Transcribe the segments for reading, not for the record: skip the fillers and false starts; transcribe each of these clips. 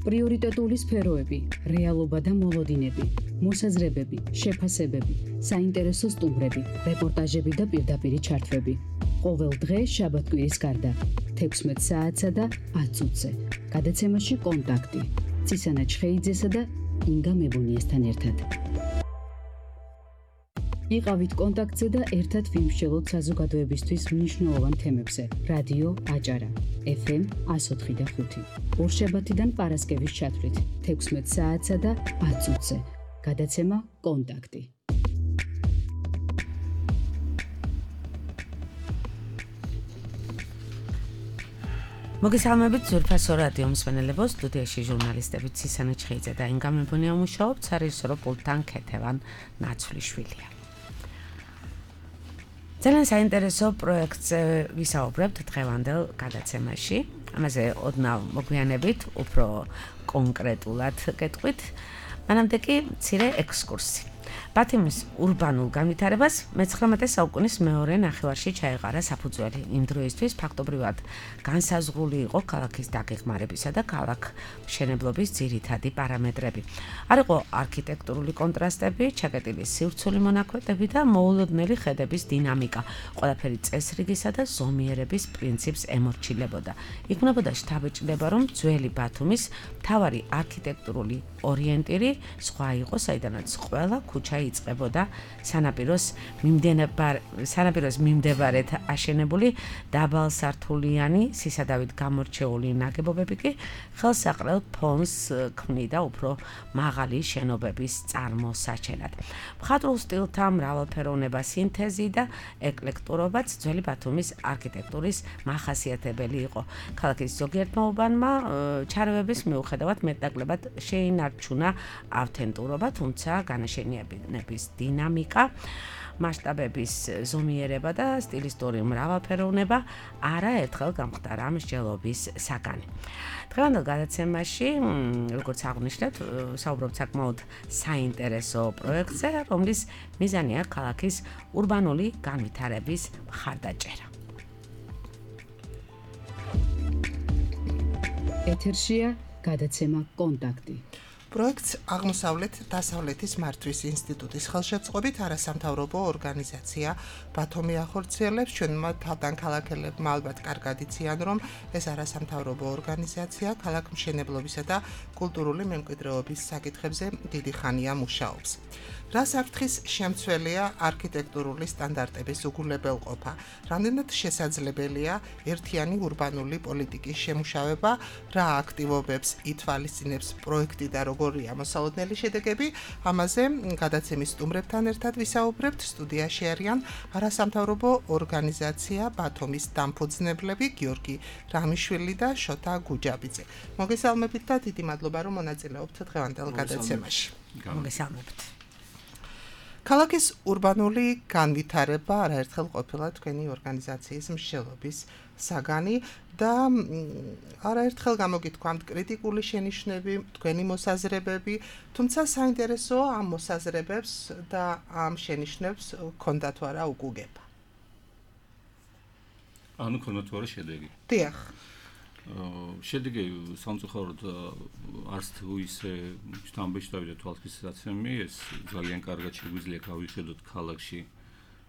პრიორიტეტული სფეროები, რეალობა და მოლოდინები, მოსაზრებები, შეფასებები, საინტერესო სტუმრები, რეპორტაჟები და პირდაპირი ჩართვები. ყოველ დღე შაბათ-კვირის გარდა 16 საათსა და 10 წუთზე. გადაცემაში კონტაქტი. ცისანა ჩხეიძესა და ინგა მებუნიესთან ერთად. იყავით კონტაქტზე და ერთად ვიმსჯელოთ საზოგადოებისთვის მნიშვნელოვან თემებზე. რადიო აჭარა, FM 104.5. ორშაბათიდან პარასკევის ჩათვლით 16 საათსა და 10 წუთზე. გადაცემა კონტაქტი. მოგესალმებით ზურფასო რადიო მსმენელებო, სტუდიაში ჟურნალისტები ცისანა ჩხეიძე და ინგა მებუნია მუშაობთ, სარეჟისორო პულტთან ქეთევან ნაცვლიშვილია. ძალიან საინტერესო პროექტზე ვისაუბრებთ დღევანდელ გადაცემაში. ამაზე ოდნავ მოგვიანებით, უფრო კონკრეტულად გეტყვით. მანამდე კი მცირე ექსკურსი. ბათუმის ურბანულ განვითარებას მე-19 საუკუნის მეორე ნახევარში ჩაეყარა საფუძველი. იმ დროისთვის ფაქტობრივად განსაზღვრული იყო ქალაქის დაგეგმარებისა და ქალაქ მშენებლობის ძირითადი პარამეტრები. არ იყო არქიტექტურული კონტრასტები, ჩაკეტილი სივრცული მონაკვეთები და მოულოდნელი ხედების დინამიკა. ყველაფერი წესრიგისა და ზომიერების პრინციპს ემორჩილებოდა. იქნებოდა შთაბეჭდილება, რომ ძველი ბათუმის მთავარი არქიტექტურული ორიენტირი სხვა იყო, საიდანაც ყველა ქუჩა იწყებოდა სანაპიროს მიმდებარედ აშენებული დაბალსართულიანი სისადავით გამორჩეული ნაგებობები კი ხელსაყრელ ფონს ქმნიდა უფრო მაღალი შენობების წარმოსაჩენად. მხატვრულ სტილთა მრავალფეროვნება, სინთეზი და ეკლექტურობაც ძველი ბათუმის არქიტექტურის მახასიათებელი იყო. ქალაქის ზოგიერთმა უბანმა ჩარევების მიუხედავად მეტნაკლებად შეინარჩუნა ავთენტურობა, თუმცა განაშენიანების დინამიკა, მასშტაბების ზომიერება და სტილისტური მრავალფეროვნება არაერთხელ გამხდარა მსჯელობის საგანი. დღევანდელ გადაცემაში, როგორც აღვნიშნეთ, საუბრობთ საკმაოდ საინტერესო პროექტზე, რომლის მიზანია ქალაქის ურბანული განვითარების მხარდაჭერა. ეთერშია გადაცემა კონტაქტი. პროექტს აღმოსავლეთ-დასავლეთის მართვის ინსტიტუტის ხელშეწყობით არასამთავრობო ორგანიზაცია ბათუმი ახორციელებს. ჩვენმა თავდანქალაქელებმა ალბათ კარგად იციან, რომ ეს არასამთავრობო ორგანიზაცია ქალაქმშენებლობისა და კულტურული მემკვიდრეობის საკითხებზე დიდი ხანია მუშაობს. რას საფრთხის შემცველია არქიტექტურული სტანდარტების უგულებელყოფა? რამდენად შესაძლებელია ერთიანი ურბანული პოლიტიკის შემუშავება? რა აქტივობებს ითვალისწინებს პროექტი და როგორია მოსალოდნელი შედეგები? ამაზე გადაცემის სტუმრებთან ერთად ვისაუბრებთ. სტუდიაში არიან არასამთავრობო ორგანიზაცია ბათუმის დამფუძნებლები გიორგი რამიშვილი და შოთა გუჯაბიძე. მოგესალმებით და დიდი მადლობა, რომ მონაწილეობთ დღევანდელ გადაცემაში. მოგესალმებით. ქალაქის ურბანული განვითარება არაერთხელ ყოფილა თქვენი ორგანიზაციის მსჯელობის საგანი და არაერთხელ გამოგითქვამთ კრიტიკული შენიშვნები, თქვენი მოსაზრებები, თუმცა საინტერესოა ამ მოსაზრებებს და ამ შენიშვნებს ჰქონდა თუ არა უკუგება. ჰქონდა თუ არა შედეგი. დიახ. შედეგი სამწუხაროდ არც თუ ისე შთამბეჭდავი და თვალსაჩინო, ეს ძალიან კარგად შეგვიძლია გავიხედოთ ქალაქში,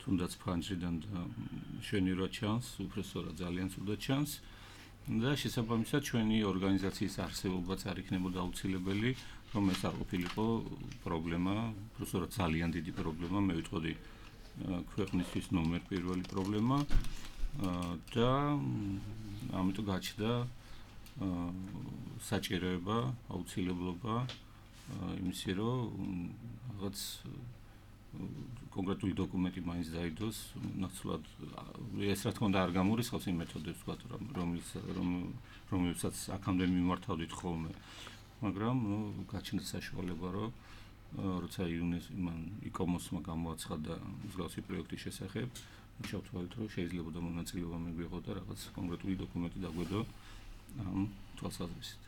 თუნდაც ფანჯრიდან და შვენივრად ჩანს, უბრალოდ ძალიან ცუდად ჩანს და შესაბამისად ჩვენი ორგანიზაციის არსებობაც არ იქნებოდა აუცილებელი, რომ ეს არ ყოფილიყო პრობლემა, უბრალოდ ძალიან დიდი პრობლემა, მე ვიტყოდი ქვეყნისთვის ნომერ პირველი პრობლემა და ამიტომ გაჩნდა საჭიროება, აუცილებლობა იმისი, რომ რაღაც კონკრეტული დოკუმენტი მაინც დაიდოს, ნაცვლად ეს რა თქმა უნდა არ გამორიცხავს იმ მეთოდებს, რომელსაც აქამდე მიმართავდით ხოლმე, მაგრამ გაჩნდა საშუალება, რომ როცა იკომოსმა გამოაცხადა მსგავსი პროექტის შესახებ, ჩავთვალეთ, რომ შეიძლება მონაწილეობა მიგვიღო და რაღაც კონკრეტული დოკუმენტი დაგვედო ამ თვალსაზრისით.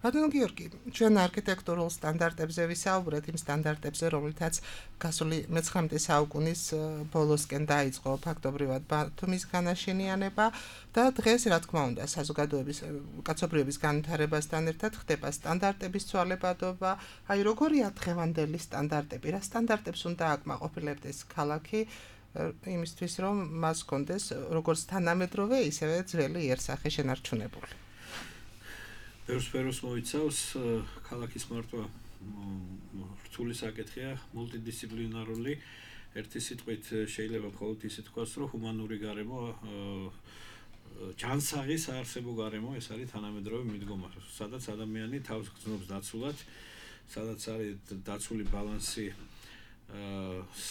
ბატონო გიორგი, ჩვენ არქიტექტურულ სტანდარტებზე ვისაუბრეთ, იმ სტანდარტებზე, რომლითაც გასული მე-19 საუკუნის ბოლოსკენ დაიწყო ფაქტობრივად ბათუმის განაშენიანება და დღეს, რა თქმა უნდა, საზოგადოების კაცობრიობის განვითარებასთან ერთად ხდება სტანდარტების ცვალებადობა. აი, როგორია დღევანდელი სტანდარტები? რა სტანდარტებს უნდა აკმაყოფილებდეს ქალაქი იმისთვის, რომ მას კონდეს როგორც თანამედროვე, ისევე ძველი იერსახე შენარჩუნებული? ბევრ სფეროს მოიცავს ქალაქის მართვა რთული საკითხია, მულტიდისციპლინარული. ერთი სიტყვით შეიძლება მხოლოდ ისე თქვას, რომ ჰუმანური გარემო, ჯანსაღის საარსებო გარემო, ეს არის თანამედროვე მიდგომა, სადაც ადამიანი თავს გრძნობს დაცულად, სადაც არის დაცული ბალანსი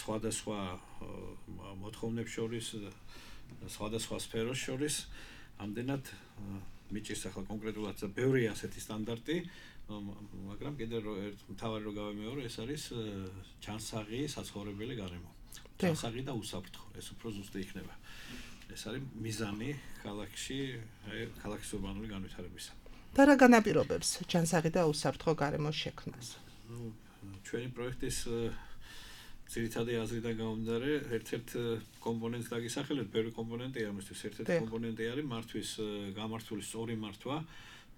სხვადასხვა მოთხოვნებს შორის, სხვადასხვა სფეროს შორის, ამდენად მიჭირს ახლა კონკრეტულად ბევრი ასეთი სტანდარტი, მაგრამ კიდევ ერთ მთავარი რო გავემეორო, ეს არის ჯანსაღი საცხოვრებელი გარემო. ჯანსაღი და უსაფრთხო, ეს უფრო ზუსტი იქნება. ეს არის მიზანი ქალაქში, ქალაქის ურბანული განვითარებისა. და რა განაპირობებს ჯანსაღი და უსაფრთხო გარემოს შექმნას? ჩვენი პროექტის ძირითადი აზრიდან გამომდინარე, ერთ-ერთ კომპონენტს დაგისახელებ, ბევრი კომპონენტია ამისთვის. ერთ-ერთი კომპონენტი არის მართვის გამართული სწორი მართვა,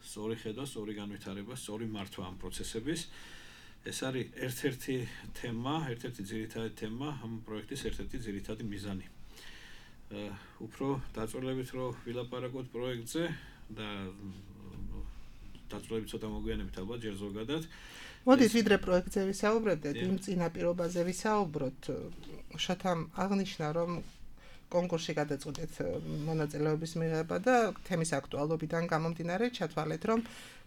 სწორი ხედვა, სწორი განვითარება, სწორი მართვა ამ პროცესების. ეს არის ერთ-ერთი თემა, ერთ-ერთი ძირითადი თემა ამ პროექტის ერთ-ერთი ძირითადი მიზანი. უფრო დაწვრილებით რო ვილაპარაკოთ პროექტზე და დაწვრილებით ცოტა მოგვიანებით ალბათ ჯერ ზოგადად. მოდით ვიდრე პროექტზე ვისაუბრებდეთ, იმ წინაპირობაზე ვისაუბროთ. შოთამ აღნიშნა, რომ კონკურსში გადაწყვეტეთ მონაწილეობის მიღება და თემის აქტუალობიდან გამომდინარე ჩათვალეთ, რომ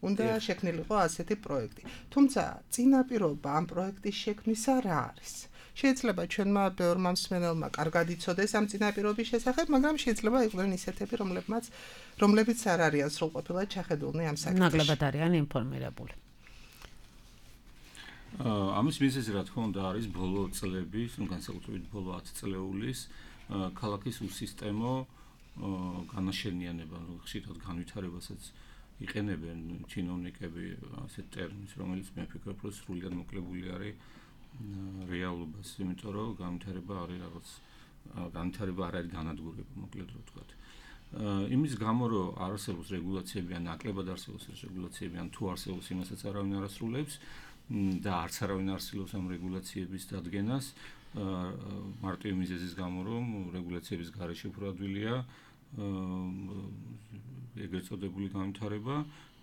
უნდა შექმნილიყო ასეთი პროექტი. თუმცა წინაპირობა ამ პროექტის შექმნისა რა არის? შეიძლება ჩვენმა ბევრმა მსმენელმა კარგად იცოდეს ამ წინაპირობის შესახებ, მაგრამ შეიძლება იყვნენ ისეთები, რომლებიც არ არიან სრულყოფილად ჩახედულნი ამ საკითხში. ნაკლებად არიან ინფორმირებული. ამის მიზეზი რა თქმა უნდა არის ბოლო წლების, განსაკუთრებით ბოლო 10 წლეულის ქალაქის უსისტემო განაშენიანება, ხშირად განვითარებასაც იყენებენ ჩინოვნიკები ასეთ ტერმინს, რომელიც მე ვფიქრობ, რომ სრულიად მოკლებული არის რეალობას, იმიტომ რომ განვითარება არის რაღაც განვითარება არ არის განადგურება, მოკლედ რო ვთქვათ. იმის გამო რომ არ არსებობს რეგულაციები, ან ნაკლებად არსებობს რეგულაციები, ან თუ არსებობს იმასაც არავინ არ ასრულებს და არც არავინ არ ასრულებს ამ რეგულაციების დადგენას, მარტივი მიზეზის გამო რომ რეგულაციების გარეშე უფრო ადვილია ეგრეთ წოდებული განვითარება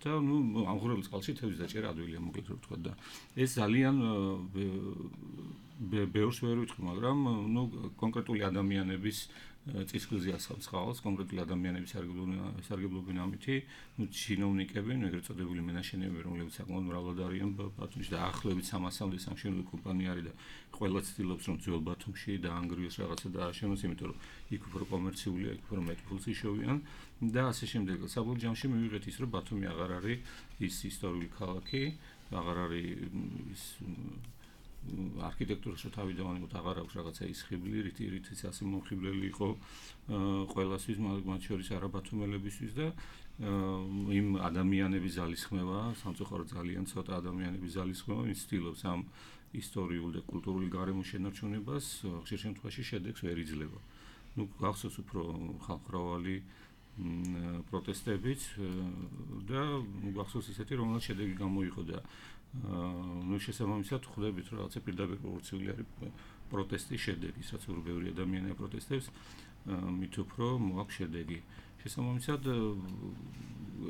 და ამღვრეულ წყალში თევზის დაჭერა ადვილია, მოკლედ რო ვთქვათ და ეს ძალიან ბევრს ვერ ვიტყვი, მაგრამ კონკრეტული ადამიანების წისქვილზე ასამცხავალს, კონკრეტული ადამიანების სარგებლობენ ამითი, ჩინოვნიკები, ეგრეთ წოდებული მენაშენეები, რომლებიც საკმაოდ მრავლად არიან ბათუმში და ახლებით 300-მდე სამშენებლო კომპანია არის და ყველა ცდილობს რომ ძველ ბათუმში დაანგრიოს რაღაცა და ააშენოს, იმიტომ რომ იქ უფრო კომერციულია, იქ უფრო მეტ ფულს იშოვიან და ასე შემდეგ. საბოლოო ჯამში მივიღეთ ის, რომ ბათუმი აღარ არის ის ისტორიული ქალაქი, აღარ არის ის არქიტექტურაში თავიდანვე აღარ აქვს რაღაცა ის ხიბლი, რითიც ასე მომხიბლელი იყო ყველასთვის, მათ შორის არაბათუმელებისთვის და იმ ადამიანების ძალისხმევა, სამწუხაროდ ძალიან ცოტა ადამიანების ძალისხმევა, ვინც ცდილობს ამ ისტორიულ და კულტურული გარემოს შენარჩუნებას, ხშირ შემთხვევაში შედეგს ვერ იძლევა. გახსოვს უფრო ხალხმრავალი პროტესტებიც და გახსოვს ისეთი, რომელიც შედეგი გამოიღო და შესაბამისად ხვდებით, რომ რაღაცა პირდაპირ პროპორციული არის პროტესტის შედეგი, რაც უფრო ბევრი ადამიანი აპროტესტებს, მით უფრო მოაქვს შედეგი. შესაბამისად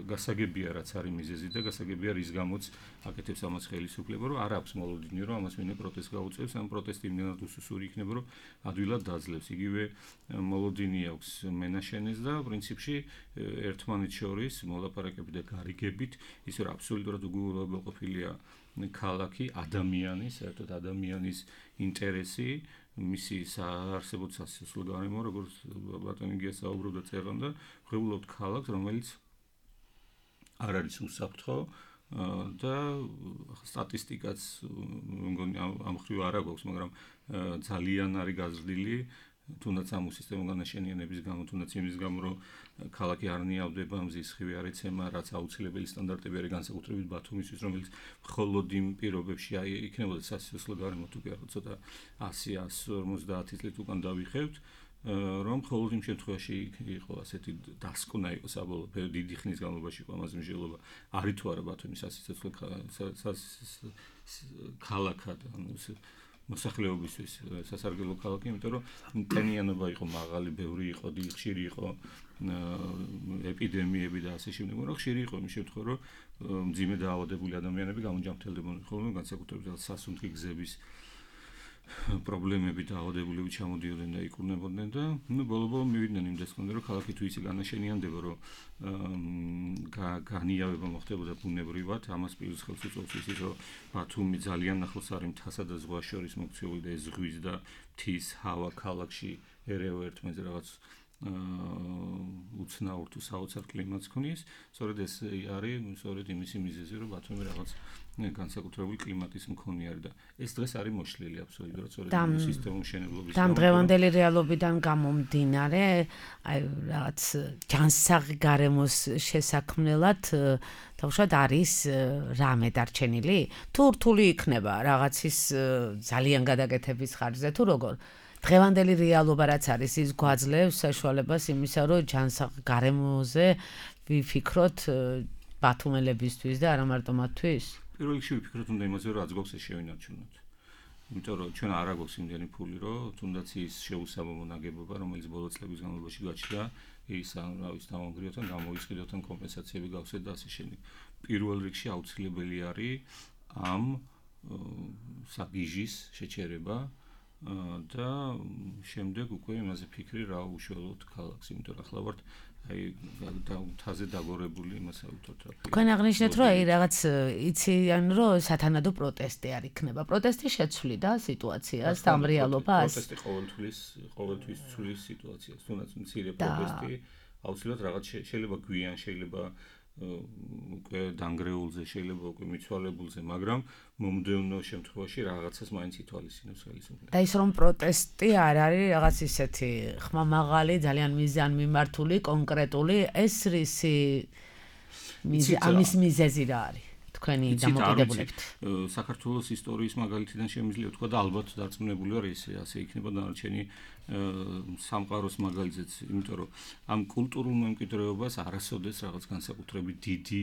გასაგებია რაც არის მიზეზი და გასაგებია რის გამოც აკეთებს ამას ხელისუფლება, რომ არ აქვს მოლოდინი, რომ ამას ვინმე პროტესტს გაუწევს, ამ პროტესტი იმდენად უსუსური იქნება, რომ ადვილად დაძლევს. იგივე მოლოდინი აქვს მენაშენეს და პრინციპში ერთმანეთს შორის მოლაპარაკებით და გარიგებით ის რომ აბსოლუტურად უგულებელყოფილია ქალაქი, ადამიანი, საერთოდ ადამიანის ინტერესი, მისი საარსებო სასიცოცხლო გარემო, როგორც ბატონი გია საუბრობდა წერან და ვღებულობთ ქალაქს, რომელიც არ არის უსაფრთხო და სტატისტიკაც მგონი ამ ხრივ არ აქვს, მაგრამ ძალიან არის გაზრდილი თუნდაც ამ სისტემურ განაშენიანების გამო, თუნდაც იმის გამო, რომ ქალაქი არ ნიავდება, მზის ხივი არ ეცემა, რაც აუცილებელი სტანდარტები არის განსაკუთრებით ბათუმისთვის, რომელიც მხოლოდ იმ პირობებში იქნებოდა სასიცოცხლო გარემო თუ კი არა ცოტა 100-150 წლით უკან დავიხევთ, რომ მხოლოდ იმ შემთხვევაში იყო ასეთი დასკვნა იყო საბოლოო დიდი ხნის განმავლობაში იყო ამაზე მსჯელობა, არის თუ არა ბათუმის სასიცოცხლო ქალაქად, ანუ მოსახლეობისთვის სასარგებლო ქალაქი, იმიტომ რომ ტენიანობა იყო მაღალი, ბევრი იყო, ხშირი იყო ეპიდემიები და ასე შემდეგ, მაგრამ ხშირი იყო იმ შემთხვევაში, რომ მძიმე დაავადებული ადამიანები გამოჯანმრთელდებოდნენ ხოლმე, განსაკუთრებით სასუნთქი გზების პრობლემები დაავადებულები ჩამოდიოდნენ და იკურნებოდნენ და ბოლო-ბოლო მივიდნენ იმ დასკვნამდე, რომ ქალაქი თუ ისე განაშენიანდება, რომ განიავება მოხდებოდა ბუნებრივად, ამას პირის ხელს უწყობს ისიც, რომ ბათუმი ძალიან ახლოს არის მთასა და ზღვას შორის მოქცეული და ეს ზღვის და მთის ჰავა ქალაქში ერევა ერთმანეთზე რაღაც უცნაურ თუ საოცარ კლიმატს ქმნის, სწორედ ეს არის სწორედ იმისი მიზეზი, რომ ბათუმი რაღაც განსაკუთრებული კლიმატის მქონე არის და ეს დღეს არის მოშლილი აბსოლუტურად სწორედ სისტემურ მშენებლობის გამო. დღევანდელი რეალობიდან გამომდინარე, აი რაღაც ჯანსაღი გარემოს შესაქმნელად თავშად არის რამე დარჩენილი? თუ რთული იქნება რაღაცის ძალიან გადაკეთების ხარჯზე თუ როგორ? დღევანდელი რეალობა რაც არის, ის გვაძლევს საშუალებას იმისა, რომ ჯანსაღ გარემოზე ვიფიქროთ ბათუმელებისთვის და არა მარტო მათთვის? პირველ რიგში ვიფიქროთ უნდა იმაზე, რომ რაც გვაქვს ეს შევინარჩუნოთ. იმიტომ რომ ჩვენ არ აგვაქვს იმდენი ფული, რომ თუნდაც ის შეუსაბამო ნაგებობა, რომელიც ბოლო წლების განმავლობაში გაჩნდა, ის ამრავის დამანგრიოთ ან გამოიყიდოთ ან კომპენსაციები გავსეთ და ასე შემდეგ. პირველ რიგში აუცილებელი არის ამ საგიჟის შეჩერება და შემდეგ უკვე იმაზე ფიქრი რა უშუალოდ ქალაქს, იმიტომ რომ ახლა ვართ აი თაზე დაგორებული იმასა ვთქვათ რა. თქვენ აღნიშნეთ რომ აი რაღაც იციან რომ სათანადო პროტესტი არ იქნება. პროტესტი შეცვლიდა სიტუაციას და ამ რეალობას. პროტესტი ყოველთვის ცვლის სიტუაციას. თუნდაც მცირე პროტესტი აუცილებლად რაღაც შეიძლება გვიან, შეიძლება უკვე დანგრეულზე, შეიძლება უკვე მიცვალებულზე, მაგრამ მომდევნო შემთხვევაში რაღაცას მაინც ითვალისწინებს ხელისუფლება. და ის რომ პროტესტი არ არის რაღაც ისეთი ხმამაღალი, ძალიან მიზანმიმართული, კონკრეტული, ეს რისი ამის მიზეზი რა არის? თქვენი დამოკიდებულებით. საქართველოს ისტორიის მაგალითიდან შემიძლია ვთქვა და ალბათ დარწმუნებული ვარ ასე იქნება დანარჩენი სამყაროს მაგალითიც, იმიტომ რომ ამ კულტურულ მემკვიდრეობას არასოდეს რაღაც განსაკუთრებით დიდი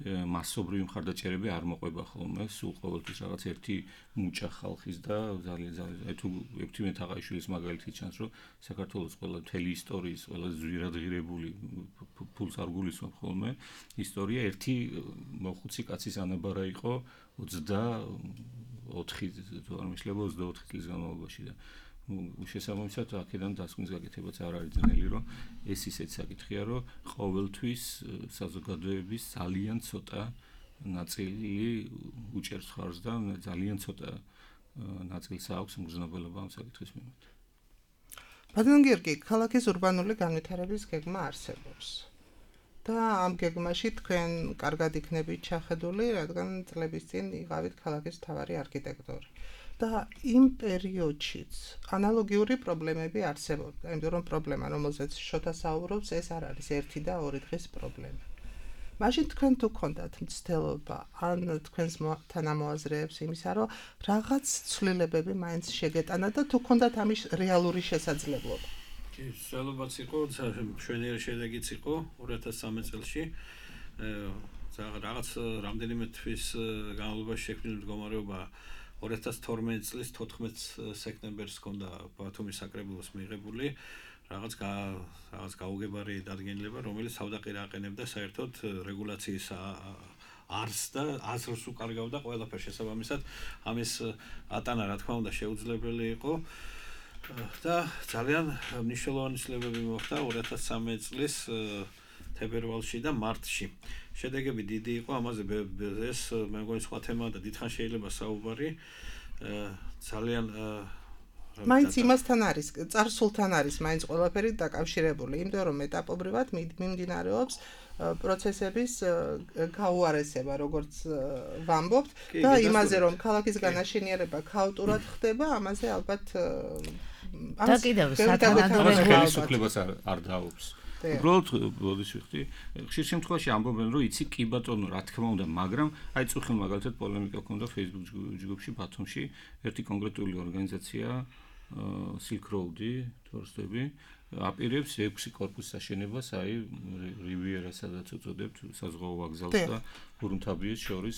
მასობრივი მხარდაჭერები არ მოყვება ხოლმე, სულ ყოველთვის რაღაც ერთი მუჭა ხალხის და ძალიან აი თუ ექვთიმე თაყაიშვილის მაგალითი ჩანს, რომ საქართველოს ყველა მთელი ისტორიის ყველა ზვირადღირებული ფულს არ გულისხმობ ხოლმე, ისტორია ერთი მოხუცი კაცის ანაბარა იყო 24 თუ არ მეშლება 24 წლის განმავლობაში და შესაბამისად აქედან დასკვნის გაკეთებაც არ არის ძნელი, რომ ეს ისეთ საკითხია, რომ ყოველთვის საზოგადოების ძალიან ცოტა ნაწილი უჭერს ხარჯს და ძალიან ცოტა ნაწილს აქვს მგრძნობელობა ამ საკითხის მიმართ. ბატონ გიორგი, ქალაქის ურბანული განვითარების გეგმა არსებობს. და ამ გეგმაში თქვენ კარგად იქნებით ჩახედული, რადგან წლების წინ იყავით ქალაქის მთავარი არქიტექტორი. და იმ პერიოდშიც ანალოგიური პრობლემები არსებობდა, იმიტომ რომ პრობლემა, რომელზეც შოთა საუბრობს, ეს არ არის ერთი და ორი დღის პრობლემა. მაშინ თქვენ თუ გქონდათ მცდელობა, ან თქვენს თანამოაზრეებს იმისა, რომ რაღაც ცვლილებები მაინც შეგეტანა და თუ გქონდათ ამის რეალური შესაძლებლობა. ცვლილებაც იყო, მშვენიერი შედეგიც იყო 2013 წელში. რაღაც რამდენიმე თვის განმავლობაში შექმნილი მდგომარეობა 2012 წლის 14 სექტემბერს ჰქონდა ბათუმის საკრებულოს მიღებული რაღაც გაუგებარი დადგენილება, რომელიც თავდაყირა აყენებდა საერთოდ რეგულაციის არს და აზრს უკარგავდა ყველაფერს შესაბამისად ამის ატანა რა თქმა უნდა შეუძლებელი იყო და ძალიან მნიშვნელოვანი ცვლილებები მოხდა 2013 წლის თებერვალში და მარტში. შედეგები დიდი იყო, ამაზე ეს მე მგონი სხვა თემაა და დიდხანს შეიძლება საუბარი. ძალიან მაინც იმასთან არის, წარსულთან არის მაინც ყველაფერი დაკავშირებული, იმიტომ რომ ეტაპობრივად მიმდინარეობს პროცესების გაუარესება, როგორც ვამბობთ და იმაზე რომ ქალაქის განაშენიანება ქაოტურად ხდება, ამაზე ალბათ და კიდევ სათანადო ხელისუფლებას არ დაობს. უბრალოდ ბოდის ვიხდი, ხშირ შემთხვევაში ამბობენ, რომ იცი კი ბატონო, რა თქმა უნდა, მაგრამ აი წუხილ მაგალითად პოლემიკა ქონდა Facebook ჯგუფში ბათუმში, ერთი კონკრეტული ორგანიზაცია Silk Road-ი, თორსტები, აპირებს 6 კორპუსის აშენებას, აი რივიერას სადაც უწოდებთ, საზღვაო ვокзалს და გურუნთაბიეს შორის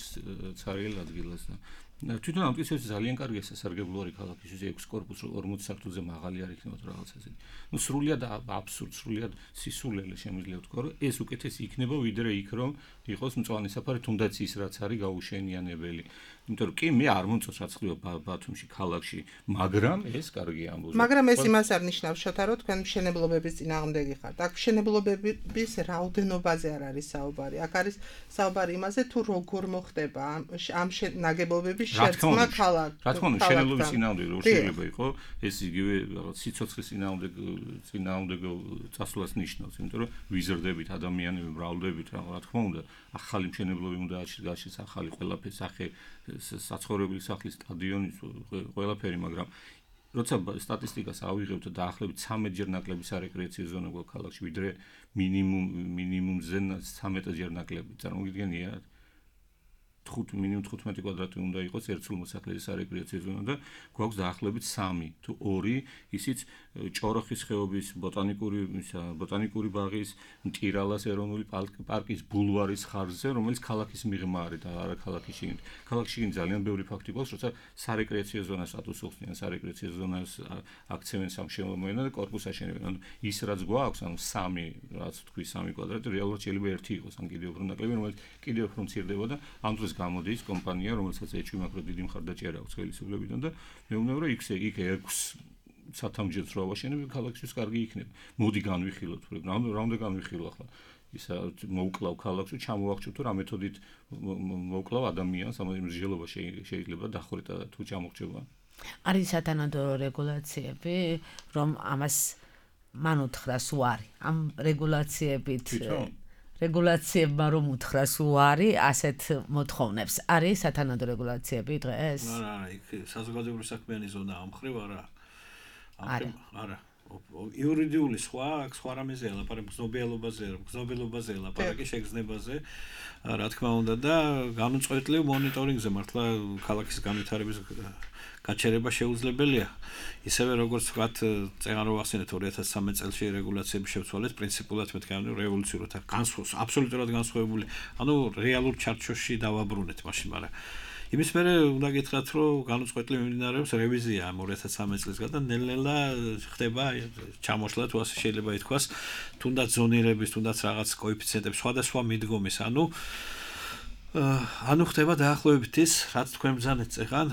ცარიელ ადგილას და თვითონ ამტკიცებს ძალიან კარგი სასარგებლოა ქალაქისთვის 6 კორპუსი 40 სართულზე მაღალი არ იქნება თუ რაღაც ასე. ნუ სრულიად აბსურდ, სრულიად სისულელე შემიძლია ვთქვა, რომ ეს უკეთესი იქნება ვიდრე იქ რომ იყოს მწვანე საფარი, თუნდაც ის რაც არის გაუშენიანებელი. იმიტომ რომ კი მე არ მომწონს რაც ხდება ბათუმში ქალაქში, მაგრამ ეს კარგი ამბავია. მაგრამ ეს იმას არ ნიშნავს შოთა რომ თქვენ მშენებლობების წინააღმდეგი ხართ. აქ მშენებლობების რაოდენობაზე არ არის საუბარი. აქ არის საუბარი იმაზე თუ როგორ მოხდება ამ ნაგებობების შერწყმა ქალაქ. რა თქმა უნდა, მშენებლობის წინააღმდეგი რო შეიძლება იყოს, ეს იგივე რაღაც სიცოცხლის წინააღმდეგო წასვლას ნიშნავს, იმიტომ რომ ვიზრდებით ადამიანები მრავლდებით რა თქმა უნდა, ახალი მშენებლობები უნდა გაჩნდეს, ახალი ყველაფერი სახე საცხოვრებელი სახლის სტადიონი ყველაფერი, მაგრამ როცა სტატისტიკას ავიღებთ და დაახლოებით 13-ჯერ ნაკლები სარეკრეაციო ზონა გვაქვს ქალაქში, ვიდრე მინიმუმზე 13-ჯერ ნაკლები. წარმოგიდგენია? მინიმუმ 15 კვადრატი უნდა იყოს ერთსულ მოსახლეზე სარეკრეაციო ზონა და გვაქვს დაახლოებით 3 თუ 2 ისიც ჭოროხის ხეობის ბოტანიკური ბაღის, მტირალას ეროვნული პარკის ბულვარის ხარჯზე, რომელიც ქალაქის მიღმა არის და არა ქალაქის შიგნით. ქალაქის შიგნით ძალიან ბევრი ფაქტი გვაქვს, როცა სარეკრეაციო ზონას სტატუსს უხდიან, სარეკრეაციო ზონას აქცევენ სამშენებლო და კორპუსს აშენებენ. ანუ ის რაც გვაქვს, ანუ 3, რაც თქვი 3 კვადრატი, რეალურად შეიძლება 1 იყოს, ან კიდევ უფრო ნაკლები, რომელიც კიდევ უფრო მცირდება და ამ დროს გამოდის კომპანია, რომელსაც ეჭვი მაქრო დიდი მხარდაჭერა აქვს ხელისუფლებიდან და მე ვუნა რომ იქ 6 სათამჯერს რო ავაშენებ, ქალაქისთვის კარგი იქნება. მოდი განვიხილოთ, რა უნდა განვიხილო ახლა? ისა მოვკლავ ქალაქში, ჩამოვახჩევ თუ რა მეთოდით მოვკლავ ადამიანს, ამ მსჯელობა შეიძლება დახვრიტა თუ ჩამოხჩება. არის სათანადო რეგულაციები, რომ ამას მან უთხრას უარი. ამ რეგულაციებით რეგულაციებმა რომ უთხრას უარი ასეთ მოთხოვნებს. არის სათანადო რეგულაციები დღეს? არა, იქ საზოგადოებრივი საქმიანი ზონა ამხრივ არა. არა. იურიდიული სხვა რამეზე ელაპარაკ გზნობიელობაზე ელაპარაკი შეგრძნებაზე, რა თქმა უნდა და განუწყვეტლივ მონიტორინგზე მართლა ქალაქის განვითარების გაჩერება შეუძლებელია. ისევე როგორც ვთქვათ, წეგან რო ახსენეთ 2013 წელს რეგულაციები შევცვალეთ, პრინციპულად მეთქი რევოლუციურად აბსოლუტურად განსხვავებული, ანუ რეალურ ჩარჩოში დავაბრუნეთ მაშინ, მაგრამ იმის მერე უნდა გითხრათ, რომ განუწყვეტლივ მიმდინარეობს რევიზია 2013 წლისგან და ნელ-ნელა ხდება ჩამოშლა თუ ასე შეიძლება ითქვას, თუნდაც ზონირების, თუნდაც რაღაც კოეფიციენტების სხვადასხვა მიდგომის, ანუ ხდება დაახლოებით ის, რაც თქვენ ბრძანეთ წეგან,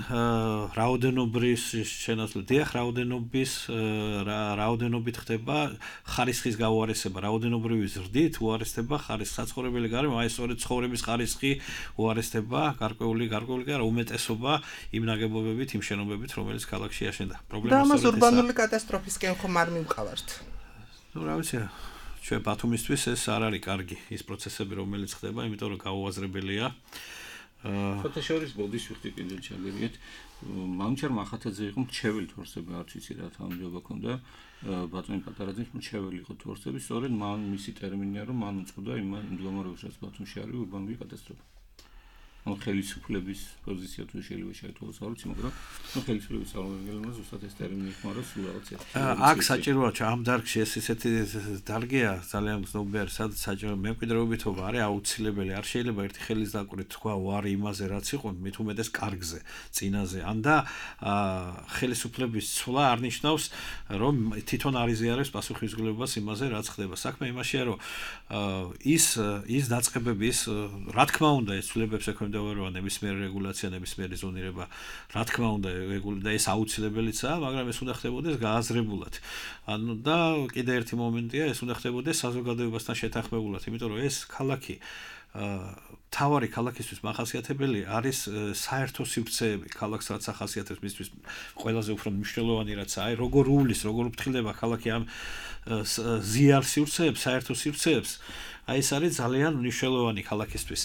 რაოდენობის შენაცვლება, დიახ, რაოდენობით ხდება ხარისხის გაუარესება, რაოდენობრივი ზრდით უარესდება ხარისხი, საცხოვრებელი გარემო, აი სწორედ ცხოვრების ხარისხი უარესდება, გარკვეული კი არა, უმეტესობა იმ ნაგებობებით, იმ შენობებით, რომელიც ქალაქში აშენდა. და ამას ურბანული კატასტროფისკენ ხომ არ მივყავართ? ნუ რა ვიცი, ჩვენ ბათუმისთვის ეს არ არის კარგი ის პროცესები, რომელიც ხდება, იმიტომ რომ გაუაზრებელია. ფოტოშორის ბოდის ვიხდი კიდევ ჩაგერიეთ. მანჩარ მახათაძე იყო მრჩეველი თორსები, არც იცი რა თანამდებობა ქონდა. ბატონი პატარაძის მრჩეველი იყო თორსები, სწორედ მან მისი ტერმინია, რომ მან უწოდა იმ მდგომარეობას, რაც ბათუმში არის ურბანული კატასტროფა. ანუ ხელისუფლების პოზიცია თუ შეიძლება შეიტყოს, არ ვიცი, მაგრამ ხელისუფლების წარმომადგენელმა ზუსტად ეს ტერმინი ხმარა სულ რაღაცა. აქ საჭიროა ამ დარგში ეს ისეთი დარგია, ძალიან გზნობიარი, სადაც საჭირო მემკვიდრეობითობა არის აუცილებელი. არ შეიძლება ერთი ხელის დაკვირით თქვა ვარი იმაზე, რაც იყო, მით უმეტეს კარგზე, წინაზე. ან და ხელისუფლების ცვლა არ ნიშნავს, რომ თვითონ არ იზიარებს პასუხისმგებლობას იმაზე, რაც ხდება. საქმე იმაშია, რომ ის დაწყებები, რა თქმა უნდა, ეს ცვლილებებს ექვემდებარება ნებისმიერი რეგულაცია, ნებისმიერი ზონირება, რა თქმა უნდა, და ეს აუცილებელიცაა, მაგრამ ეს უნდა ხდებოდეს გააზრებულად. ანუ და კიდე ერთი მომენტია, ეს უნდა ხდებოდეს საზოგადოებასთან შეთანხმებულად, იმიტომ რომ ეს ქალაქი თავარი ქალაქისთვის მახასიათებელი არის საერთო სივრცეები, ქალაქს რაც ახასიათებს მისთვის ყველაზე უფრო მნიშვნელოვანი რაც აი როგორ უვლის, როგორ უფრთხილდება ქალაქი ამ ზიარ სივრცეებს, საერთო სივრცეებს, აი ეს არის ძალიან მნიშვნელოვანი ქალაქისთვის.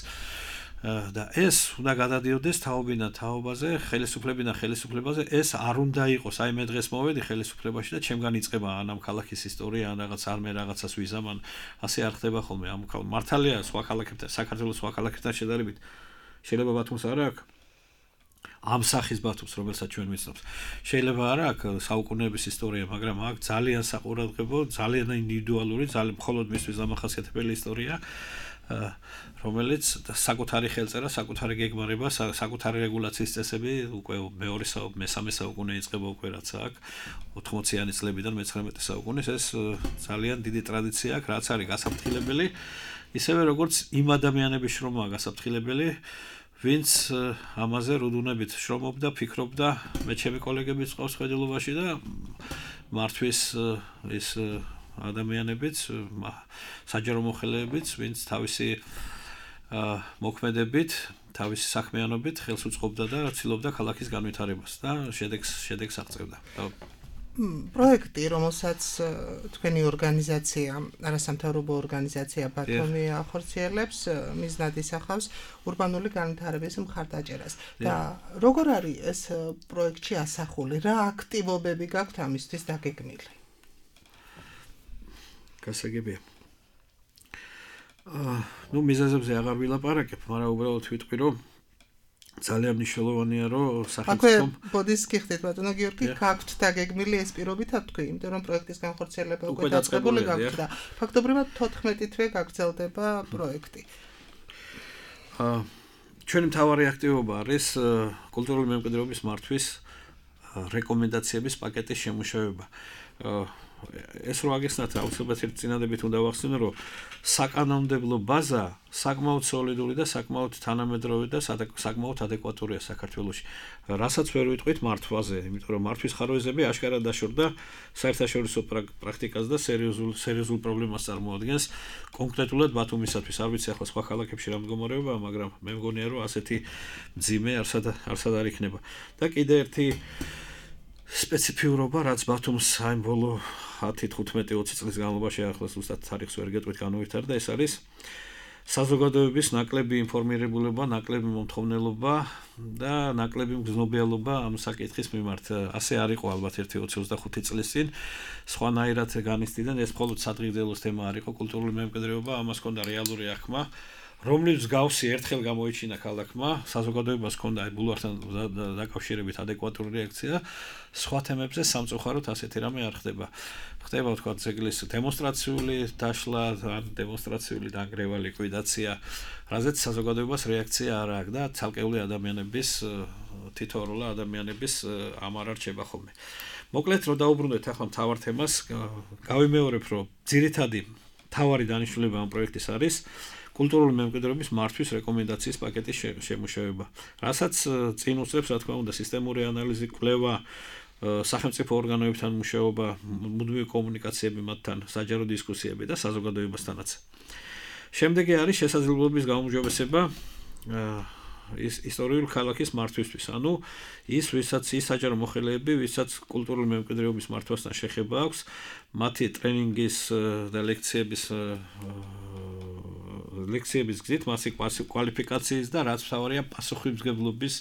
და ეს უნდა გადადიოდეს თაობიდან თაობაზე, ხელისუფლებიდან ხელისუფლებაზე, ეს არ უნდა იყოს, აი მე დღეს მოვედი ხელისუფლებაში და ჩემგან იწყება ან ამ ქალაქის ისტორია, ან რაღაც არ მე რაღაცას ვიზამან, ასე არ ხდება ხოლმე. ამ მართალია სხვა ქალაქებთან, საქართველოს სხვა ქალაქებთან შედარებით შეიძლება ბათუმს არ აქვს ამ სახის ბათუმს, რომელსაც ჩვენ ვიცნობთ. შეიძლება არ აქვს საუკუნეების ისტორია, მაგრამ აქ ძალიან საყურადღებო, ძალიან ინდივიდუალური, ძალიან მხოლოდ მისთვის დამახასიათებელი ისტორია, რომელიც საკუთარი ხელწერა, საკუთარი გეგმარება, საკუთარი რეგულაციის წესები უკვე მესამე საუკუნე იწყება უკვე რაც აქ 80-იანი წლებიდან მე-19 საუკუნის ეს ძალიან დიდი ტრადიცია აქვს, რაც არის გასაფრთხილებელი, ისევე როგორც იმ ადამიანების შრომაა გასაფრთხილებელი, ვინც ამაზე რუდუნებით შრომობდა, ფიქრობდა, მე ჩემი კოლეგებიც ყავს ხედელობაში და მართვის ის ადამიანებიც, საჯარო მოხელეებიც, ვინც თავისი მოქმედებით, თავისი საქმიანობით ხელს უწყობდა და ცდილობდა ქალაქის განვითარებას და შედეგს აღწევდა. პროექტი, რომელსაც თქვენი ორგანიზაცია, არასამთავრობო ორგანიზაცია ბათუმი ახორციელებს, მიზნად ისახავს ურბანული განვითარების მხარდაჭერას. და როგორ არის ეს პროექტში ასახული? რა აქტივობები გაქვთ ამისთვის დაგეგმილი? გასაგებია. მიზეზებზე აღარ ვილაპარაკებ, მაგრამ უბრალოდ ვიტყვი, რომ ძალიან მნიშვნელოვანია, რომ სახელმწიფომ ბოდის გიხდით ბატონო გიორგი, გაქვთ დაგეგმილი ეს პირობითად თქვი, იმიტომ რომ პროექტის განხორციელება უკვე დაწყებული გაქვთ და ფაქტობრივად 14 თვე გაგრძელდება პროექტი. ჩვენი მთავარი აქტივობა არის კულტურული მემკვიდრეობის მართვის რეკომენდაციების პაკეტის შემუშავება. ეს რო აგეხსნათ, აუცილებლად ერთ წინადებით უნდა ვახსენო, რომ საკანონმდებლო ბაზა საკმაოდ სოლიდური და საკმაოდ თანამედროვე და საკმაოდ ადეკვატურია საქართველოში. რასაც ვერ ვიტყვით მართვაზე, იმიტომ რომ მართვის ხაროეზები აშკარად დაშორდა საერთაშორისო პრაქტიკას და სერიოზულ პრობლემას წარმოადგენს კონკრეტულად ბათუმისათვის. არ ვიცი ახლა სხვა ქალაქებში რა მდგომარეობაა, მაგრამ მე მგონია, რომ ასეთი მძიმე არსად არ იქნება. და კიდე ერთი სპეციფიურობა, რაც ბათუმს აი ბოლო 10-15-20 წლის განმავლობაში ახლა ზუსტად თარიღს ვერ გეტყვით განუვითარდა, ეს არის საზოგადოების ნაკლები ინფორმირებულობა, ნაკლები მომთხოვნელობა და ნაკლები მგზნობიალობა ამ საკითხის მიმართ. ასე არ იყო ალბათ 1-25 წლის წინ, სხვანაირად განიცდიდან ეს მხოლოდ სადღეგრძელოს თემა არ იყო კულტურული მემკვიდრეობა, ამას ჰქონდა რეალური აღქმა, რომლის მსგავსი ერთხელ გამოიჩინა ქალაქმა, საზოგადოებას ჰქონდა აი ბულვართან დაკავშირებით ადეკვატური რეაქცია, სხვა თემებზე სამწუხაროდ ასეთი რამე არ ხდება. ხდება თქვა ძეგლის დემონსტრაციული დაშლა, ან დემონსტრაციული დანგრევა, ლიკვიდაცია, რაზეც საზოგადოებას რეაქცია არ აქვს და ცალკეული ადამიანების თითოეულა ადამიანების ამ არ არჩება ხოლმე. მოკლედ რომ დაუბრუნდეთ ახლა მთავარ თემას, გავიმეორებ, რომ ძირითადი მთავარი დანიშნულება ამ პროექტის არის კულტურული მემკვიდრეობის მართვის რეკომენდაციის პაკეტის შემუშავება, რასაც წინ უსწრებს, რა თქმა უნდა, სისტემური ანალიზი, კვლევა, სახელმწიფო ორგანოებთან მუშაობა, მუდმივი კომუნიკაციები მათთან, საჯარო დისკუსიები და საზოგადოებასთანაც. შემდეგი არის შესაძლებლობის გაუმჯობესება ისტორიული ქალაქის მართვისთვის, ანუ ის, ვისაც საჯარო მოხელეები, ვისაც კულტურული მემკვიდრეობის მართვასთან შეხება აქვს, მათი ტრენინგის და ლექციების გზით მასი კვალიფიკაციის და რაც მთავარია პასუხისმგებლობის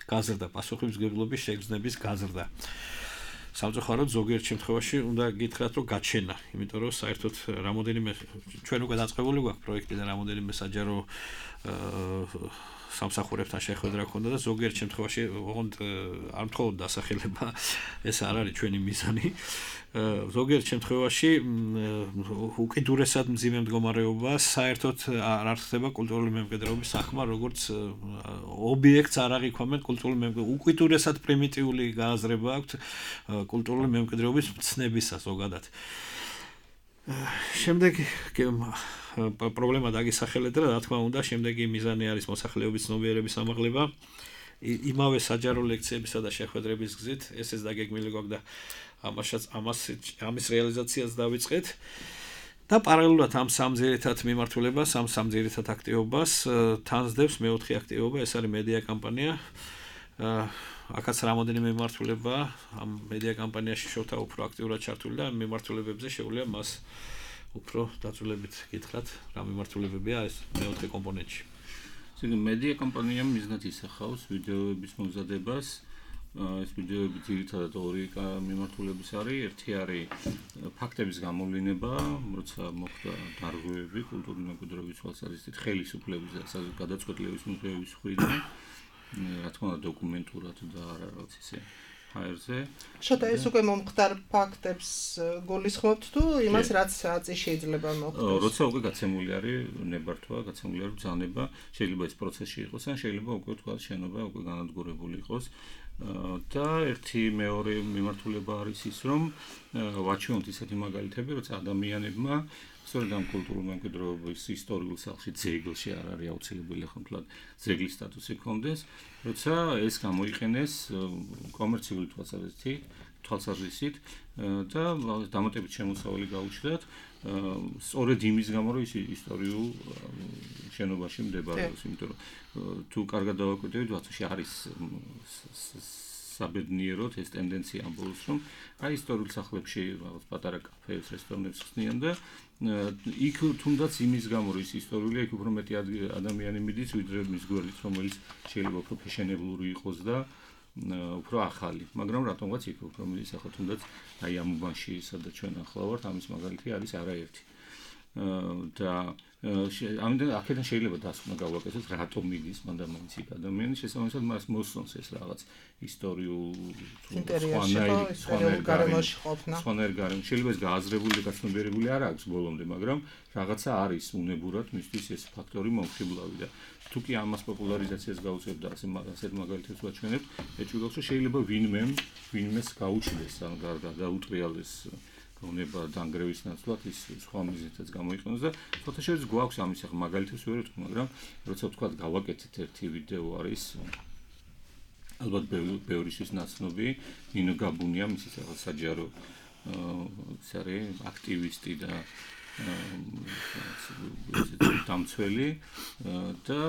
გაზრდა, პასუხისმგებლობის შეგრძნების გაზრდა. სამწუხაროდ ზოგიერთ შემთხვევაში უნდა გითხრათ, რომ გაჩენა, იმიტომ რომ საერთოდ რამოდენიმე ჩვენ უკვე დაწყებული გვაქვს პროექტი და რამოდენიმე საჯარო სამსახურებთან შეხვედრა ჰქონდა და ზოგიერთ შემთხვევაში ოღონდ არ მხოლოდ დასახელება, ეს არ არის ჩვენი მიზანი. ზოგიერთ შემთხვევაში უკიდურესად მძიმე მდგომარეობა საერთოდ არ ხდება კულტურული მემკვიდრეობის სახმა, როგორც ობიექტს არ აღიქვამენ კულტურული მემკვიდრეობის. უკიდურესად პრიმიტიული გააზრება აქვთ კულტურული მემკვიდრეობის მცნებისა ზოგადად. შემდეგი პრობლემა დაგისახელეთ და რა თქმა უნდა, შემდეგი მიზანი არის მოსახლეობის ცნობიერების ამაღლება. იმავე საჯარო ლექციებისა და შეხვედრების გზით, ესეც დაგეგმილი გვაქვს და ამის რეალიზაციას დავიწყეთ. და პარალელურად ამ სამ ძირითად მიმართულებას, ამ სამ ძირითად აქტივობას თანსდევს მეოთხე აქტივობა, ეს არის მედია კამპანია. აქაც რამოდენიმე მიმართულება, ამ მედია კამპანიაში შოთა უფრო აქტიურად ჩართული და ამ მიმართულებებზე შეუძლია მას უფრო დაწვრილებით გითხრათ, რა მიმართულებებია ეს მეოთხე კომპონენტში. ისე მედია კომპანიამ მიზნად ისახავს ვიდეოების მომზადებას. ეს ვიდეოები ძირითადად ორი მიმართულების არის. ერთი არის ფაქტების გამოვლინება, როცა მოხდა დარღვევები კულტურული მემკვიდრეობის თვალსაზრისით, ხელისუფლების და გადაწყვეტილების მიღების მხრიდან, რა თქმა უნდა დოკუმენტურად და არა რაღაც ისე ჰაერზე. შოთა ეს უკვე მომხდარ ფაქტებს გულისხმობთ თუ იმას რაც შეიძლება მოხდეს? როცა უკვე გაცემული არის ნებართვა, გაცემული არის ბრძანება, შეიძლება ეს პროცესში იყოს, ან შეიძლება უკვე თქვა შენობა უკვე განადგურებული იყოს. და ერთი მეორე მიმართულება არის ის, რომ ვაჩვენოთ ისეთი მაგალითები, როცა ადამიანებმა სწორედ ამ კულტურული მემკვიდრეობის ისტორიულ სახლში ძეგლში არ არის აუცილებელი ხომ ძეგლის სტატუსი ჰქონდეს, როცა ეს გამოიყენეს კომერციული თვალსაზრისით და დამატებით შემოსავალი გაუჩნდათ სწორედ იმის გამო, რომ ის ისტორიულ შენობაში მდებარეობს, იმიტომ რომ თუ კარგად დავაკვირდებით, ვაცაში არის საბედნიეროდ ეს ტენდენცია ამ ბოლოს, რომ აი ისტორიულ სახლებში რაღაც პატარა კაფეებს, რესტორნებს ხსნიან და იქ თუნდაც იმის გამო, რომ ის ისტორიულია, იქ უფრო მეტი ადამიანი მიდის, ვიდრე მის გვერდით, რომელიც შეიძლება უფრო ფეშენებლური იყოს და უფრო ახალი, მაგრამ რატომღაც იქ უფრო მიდის ახლა თუნდაც აი ამ უბანში, სადაც ჩვენ ახლა ვართ, ამის მაგალითი არის არაერთი. და ამიტომ აქედან შეიძლება დასკვნა გავაკეთოთ, რატომ მიდის მანდა მაინც იქ ადამიანი, შესაბამისად მას მოსწონს ეს რაღაც ისტორიულ სხვანაირ გარემოში ყოფნა. სხვანაირ გარემოში შეიძლება ეს გააზრებული და გაცნობიერებული არ აქვს ბოლომდე, მაგრამ რაღაცა არის უნებურად მისთვის ეს ფაქტორი მომხიბლავი და თუ კი ამას პოპულარიზაციას გაუწევთ და ასეთ მაგალითებს ვაჩვენებთ, ეჭვგავს რომ შეიძლება ვინმეს გაუჩნდეს ან გადაუტრიალდეს გონება დანგრევის ნაცვლად ის სხვა მიზეზებიც გამოიყენოს და ფოტოშოპში გვაქვს ამის ახლა მაგალითებს ვერ ვთქვი, მაგრამ როცა ვთქვათ გავაკეთეთ ერთი ვიდეო არის ალბათ ბევრისთვის ნაცნობი ნინო გაბუნია მისი რაღაც საჯარო ის არის აქტივისტი და დამცველი და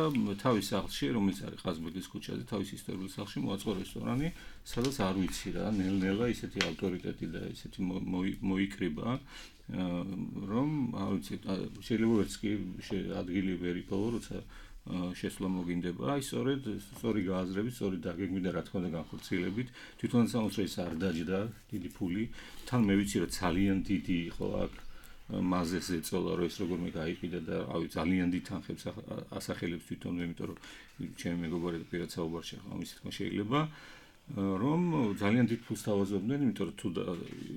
თავის სახლში, რომელიც არის ყაზბეგის ქუჩაზე, თავის ისტორიულ სახლში მოაწყო რესტორანი, სადაც არ ვიცი რა, ნელ-ნელა ისეთი ავტორიტეტი და ისეთი მოიკრიბა, რომ არ ვიცი, შეიძლება ვერც კი ადგილი ვერ იპოვო, როცა შესვლა მოგინდება, აი სწორი გააზრებით, სწორი დაგეგმით და რა თქმა უნდა განხორციელებით, თვითონაც ამას ეს არ დაჯდა დიდი ფული, თან მე ვიცი რომ ძალიან დიდი იყო აქ მაზეს ეწოლა რომ ეს როგორმე გაიყიდა და რავი ძალიან დიდ თანხებს ასახელებს თვითონვე, იმიტომ რომ ჩემი მეგობარი და პირად საუბარში ახლა ამის თქმა შეიძლება რომ ძალიან დიდ ფულს თავაზობდნენ, იმიტომ რომ თუ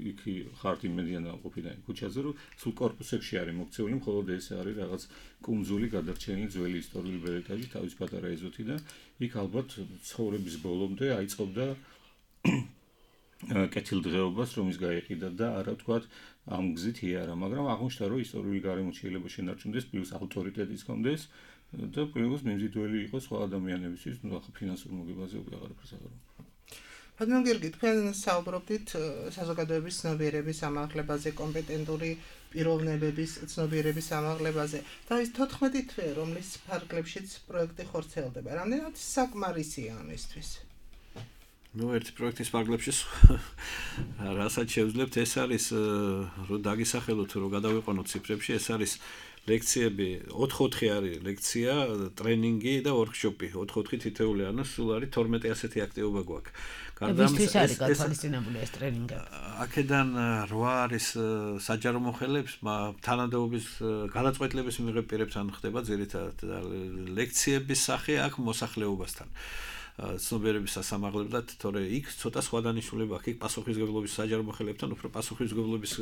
იქ ხართ იმედიანა ყოფიდან ქუჩაზე რომ სულ კორპუსებში არის მოქცეული, მხოლოდ ეს არის რაღაც კუნძული გადარჩენილი ძველი ისტორიული ბერეტაჟი თავის პატარა ეზოთი და იქ ალბათ ცხოვრების ბოლომდე აიწყობდა კეთილდღეობას რომ ის გაიყიდა და არა თქვათ ამ გზით იარა, მაგრამ აღმოჩნდა რომ ისტორიული გარემო შეიძლება შენარჩუნდეს, პლუს ავტორიტეტიც ჰქონდეს და პლუს მიმზიდველი იყოს სხვა ადამიანებისთვის, ну ახლა ფინანსურ მოგებაზე უკვე აღარაფერს აღარ ვამბობ. ბატონო გიორგი, თქვენ საუბრობდით საზოგადოების ცნობიერების ამაღლებაზე, კომპეტენტური პიროვნებების ცნობიერების ამაღლებაზე. და ის 14 თვე, რომლის ფარგლებშიც პროექტი ხორციელდება. რამდენად საკმარისია ამისთვის? ну ერთი პროექტის ფარგლებში რასაც შევძლებთ ეს არის რომ დაგისახელოთ რომ გადავიყვანოთ ციფრებში ეს არის ლექციები 4-4 არის ლექცია, ტრენინგი და ვორქშოპი 4-4 თითეული ანუ სულ არის 12 ასეთი აქტივობა გვაქვს. ვისთვის არის გათვალისწინებული ეს ტრენინგები? აქედან 8 არის საჯარო მოხელეებს, თანადაობის გადაწყვეტილების მიღებ პირებთან ხდება ძირითადად ლექციების სახე აქ მოსახლეობასთან. ცნობიერების სასამაღლებლად, თორე იქ ცოტა სხვა დანიშნულება აქვს. იქ პასუხისმგებლობის საჯარო მოხელებთან უფრო პასუხისმგებლობის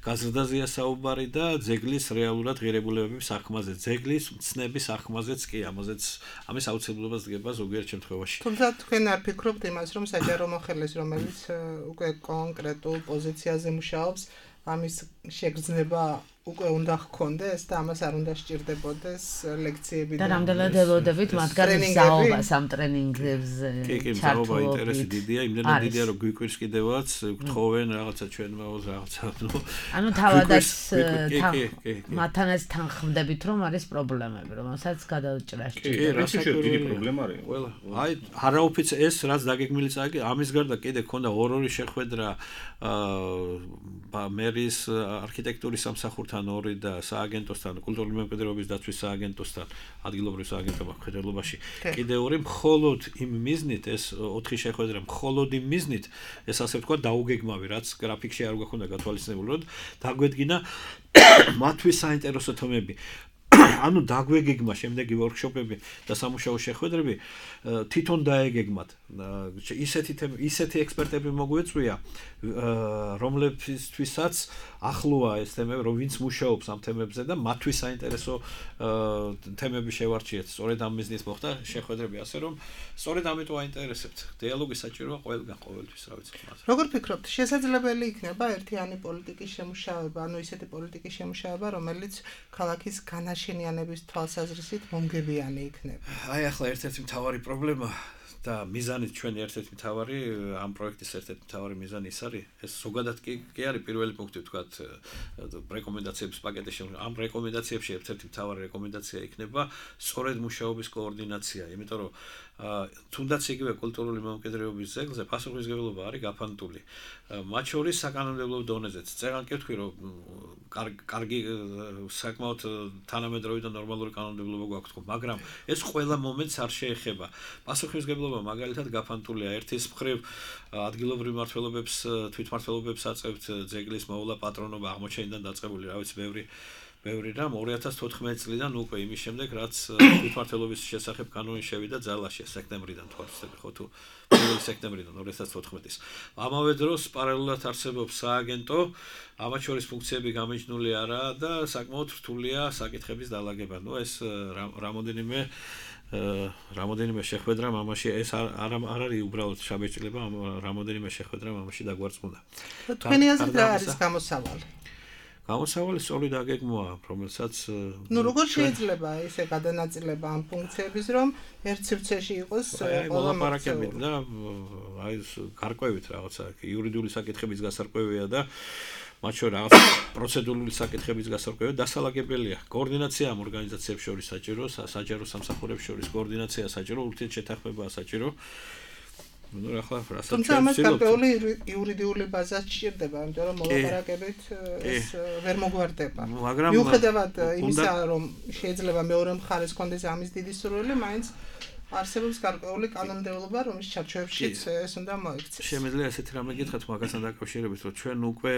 გაზრდაზეა საუბარი და ძეგლის რეალურად ღირებულებების აღქმაზე, ძეგლის მცნების აღქმაზეც კი, ამის აუცილებლობას დგება ზოგიერთ შემთხვევაში. თუმცა თქვენ არ ფიქრობთ იმას, რომ საჯარო მოხელეს, რომელიც უკვე კონკრეტულ პოზიციაზე მუშაობს, ამის შეგრძნება უკვე უნდა ჰქონდეს და ამას არ უნდა სჭირდებოდეს ლექციები და რამდენად ელოდებით მათგან მსაუბას ამ ტრენინგებზე ჩართულობით. კი, ინტერესი დიდია, იმდენად დიდია რომ გვიკვირს კიდევაც, გთხოვენ რაღაცა ჩვენ მეოს რაღაცა, ანუ თავადაც მათთანაც თანხმდებით რომ არის პრობლემები, რომელსაც გადაუჭრა სჭირდება. კი, დიდი პრობლემა არის. ყველა, აი არაოფიციალ ეს რაც დაგეგმილი წაგი, ამის გარდა კიდე ქონდა ორ-ორი შეხვედრა მერის არქიტექტურის სამსახურთან მმართველთან 2 და სააგენტოსთან, კულტურული მემკვიდრეობის დაცვის სააგენტოსთან, ადგილობრივ სააგენტოებთან მხედველობაში. კიდე 2 მხოლოდ იმ მიზნით ეს 4 შეხვედრა მხოლოდ იმ მიზნით ეს ასე ვთქვა დაუგეგმავი, რაც გრაფიკში არ გვქონდა გათვალისწინებული, რომ დაგვედგინა მათთვის საინტერესო თემები. ანუ დაგვეგეგმა შემდეგი ვორქშოპები და სამუშაო შეხვედრები თვითონ დაეგეგმათ. ისეთი ექსპერტები მოგვეწვია, რომლებთვისაც ახლოა ეს თემები, რომ ვინც მუშაობს ამ თემებზე და მათთვის საინტერესო თემები შევარჩიეთ. სწორედ ამ მიზნით მოხდა შეხვედრები, ასე რომ სწორედ ამიტომ აინტერესებთ. დიალოგი საჭიროა ყველგან ყოველთვის, რა ვიცი. როგორ ფიქრობთ, შესაძლებელი იქნება ერთიანი პოლიტიკის შემუშავება, ანუ ისეთი პოლიტიკის შემუშავება, რომელიც ქალაქის განაშენიანების თვალსაზრისით მომგებიანი იქნება? აი ახლა ერთ-ერთი მთავარი პრობლემა და მიზანით ჩვენი ერთ-ერთი მთავარი ამ პროექტის ერთ-ერთი მთავარი მიზანი ის არის, ეს ზოგადად კი არის პირველი პუნქტი ვთქვათ რეკომენდაციების პაკეტში. ამ რეკომენდაციებში ერთ-ერთი მთავარი რეკომენდაცია იქნება სწორედ მუშაობის კოორდინაცია, იმიტომ რომ თუნდაც იგივე კულტურული მემკვიდრეობის ძეგლზე პასუხისმგებლობა არის გაფანტული. მათ შორის საკანონმდებლო დონეზეც. წერან კი ვთქვი, რომ კარგი საკმაოდ თანამედროვე და ნორმალური კანონმდებლობა გვაქვს თქო, მაგრამ ეს ყველა მომენტს არ შეეხება. პასუხისმგებლობა მაგალითად გაფანტულია. ერთის მხრივ ადგილობრივ მმართველობებს, თვითმმართველობებს აწევთ ძეგლის მოვლა პატრონობა აღმოჩენიდან დაწყებული, რა ვიცი, ბევრი რამ 2014 წლიდან უკვე იმის შემდეგ, რაც თვითმმართველობის შესახებ კანონი შევიდა ძალაში სექტემბრიდან თვალსაჩინო ხო თუ 1 სექტემბრიდან 2014-ის. ამავე დროს პარალელურად არსებობს სააგენტო, ამათ შორის ფუნქციები გამიჯნული არაა და საკმაოდ რთულია საკითხების დალაგება. ნუ ეს რამოდენიმე შეხვედრა მამაში ეს არ არის უბრალოდ შაბეჭდილება, რამოდენიმე შეხვედრა მამაში დაგვარწმუნდა. თქვენი აზრით რა არის გამოსავალი? გამოსავალი სწორი დაგეგმვა, რომელსაც როგორ შეიძლება ესე გადანაწილება ამ ფუნქციების, რომ ერთ სივრცეში იყოს მოლაპარაკებით და აი გარკვევით რაღაცა იურიდიული საკითხების გასარკვევია და მათ შორის რაღაც პროცედურული საკითხების გასარკვევია დასალაგებელია. კოორდინაცია ამ ორგანიზაციებს შორის საჭირო, საჯარო სამსახურებს შორის კოორდინაცია საჭირო, ურთიერთშეთანხმებაა საჭირო. თუმცა ამას გარკვეული იურიდიული ბაზა სჭირდება, იმიტომ რომ მოლაპარაკებით ეს ვერ მოგვარდება. მიუხედავად იმისა, რომ შეიძლება მეორე მხარეს კონდეს ამის დიდი სურვილი, მაინც არსებობს გარკვეული კანონმდებლობა, რომლის ჩარჩოებშიც ეს უნდა მოიქცეს. შემიძლია ესეთი რამე გითხრათ მაგასთან დაკავშირებით, რომ ჩვენ უკვე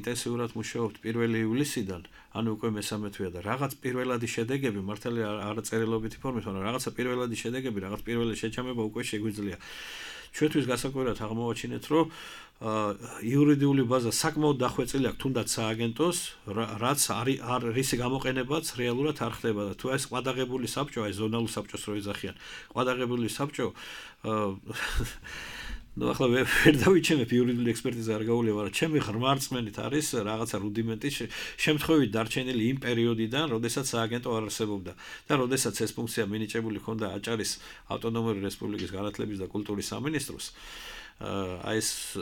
ინტენსიურად მუშაობთ 1 ივლისიდან, ანუ უკვე მე-13 თვეა და რაღაც პირველადი შედეგები, მართალია არ წერილობითი ფორმით, მაგრამ რაღაცა პირველადი შედეგები, რაღაც პირველი შეჩამება უკვე შეგვიძლია. ჩვენთვის გასაკვირად აღმოვაჩინეთ, რომ იურიდიული ბაზა საკმაოდ დახვეწილი აქვს თუნდაც სააგენტოს, რაც რისი გამოყენებაც რეალურად არ ხდება და თუ ეს ყვადაღებული საბჭო, აი ზონალურ საბჭოს რო ეძახიან, ყვადაღებული საბჭო ნუ ახლა ვერ დავიჩემებ იურიდიული ექსპერტიზა არ გაუვლია, მაგრამ ჩემი ღრმა რწმენით არის რაღაცა რუდიმენტი შემთხვევით დარჩენილი იმ პერიოდიდან, როდესაც სააგენტო არ არსებობდა და როდესაც ეს ფუნქცია მინიჭებული ჰქონდა აჭარის ავტონომიური რესპუბლიკის განათლების და კულტურის სამინისტროს. აი ეს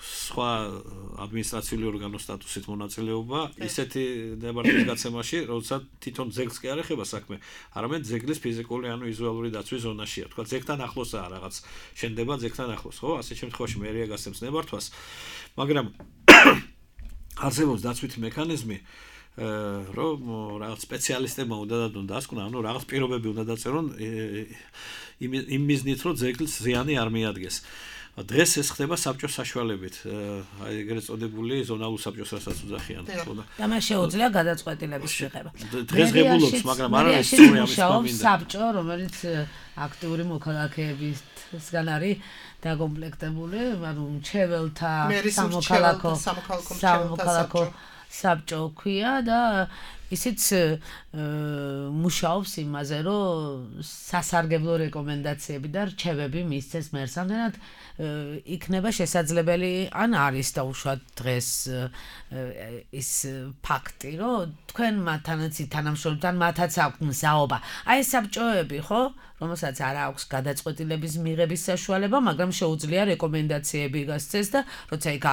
სხვა ადმინისტრაციული ორგანოს სტატუსით მონაწილეობა ისეთი დეპარტამენტის გაცემაში, როდესაც თვითონ ძეგლს კი არ ეხება საქმე, არამედ ძეგლის ფიზიკური ანუ ვიზუალური დაცვის ზონაშია. თქვა ძეგლთან ახლოსაა რაღაც შენდება ძეგლთან ახლოს, ხო? ასეთ შემთხვევაში მერია გასცემს ნებართვას, მაგრამ არსებობს დაცვითი მექანიზმი, რომ რაღაც სპეციალისტებმა უნდა დადონ დასკვნა, ანუ რაღაც პირობები უნდა დაწერონ იმ მიზნით, რომ ძეგლს ზიანი არ მიადგეს. დღეს ეს ხდება საბჭოს საშუალებით, აი ეგრეთ წოდებული ზონალურ საბჭოს რასაც უძახიან. და მას შეუძლია გადაწყვეტილების მიღება. დღესღებულობს, მაგრამ არ არის სწორი ამის გამინდა. საბჭო, რომელიც აქტიური მოქალაქეებისგან არის დაკომპლექტებული, ანუ მრჩეველთა სამოქალაქო საბჭო ქვია და ისიც მუშაობს იმაზე, რომ სასარგებლო რეკომენდაციები და რჩევები მისცეს მერს. ამდენად იქნება შესაძლებელი, ან არის დაუშვათ დღეს ის ფაქტი, რომ თქვენ მათთანაც თანამშრომლებთან მათაც აქვთ მსაობა. აი ეს საბჭოები, ხო, რომელსაც არ აქვს გადაწყვეტილების მიღების საშუალება, მაგრამ შეუძლია რეკომენდაციები გასცეს და როცა იქ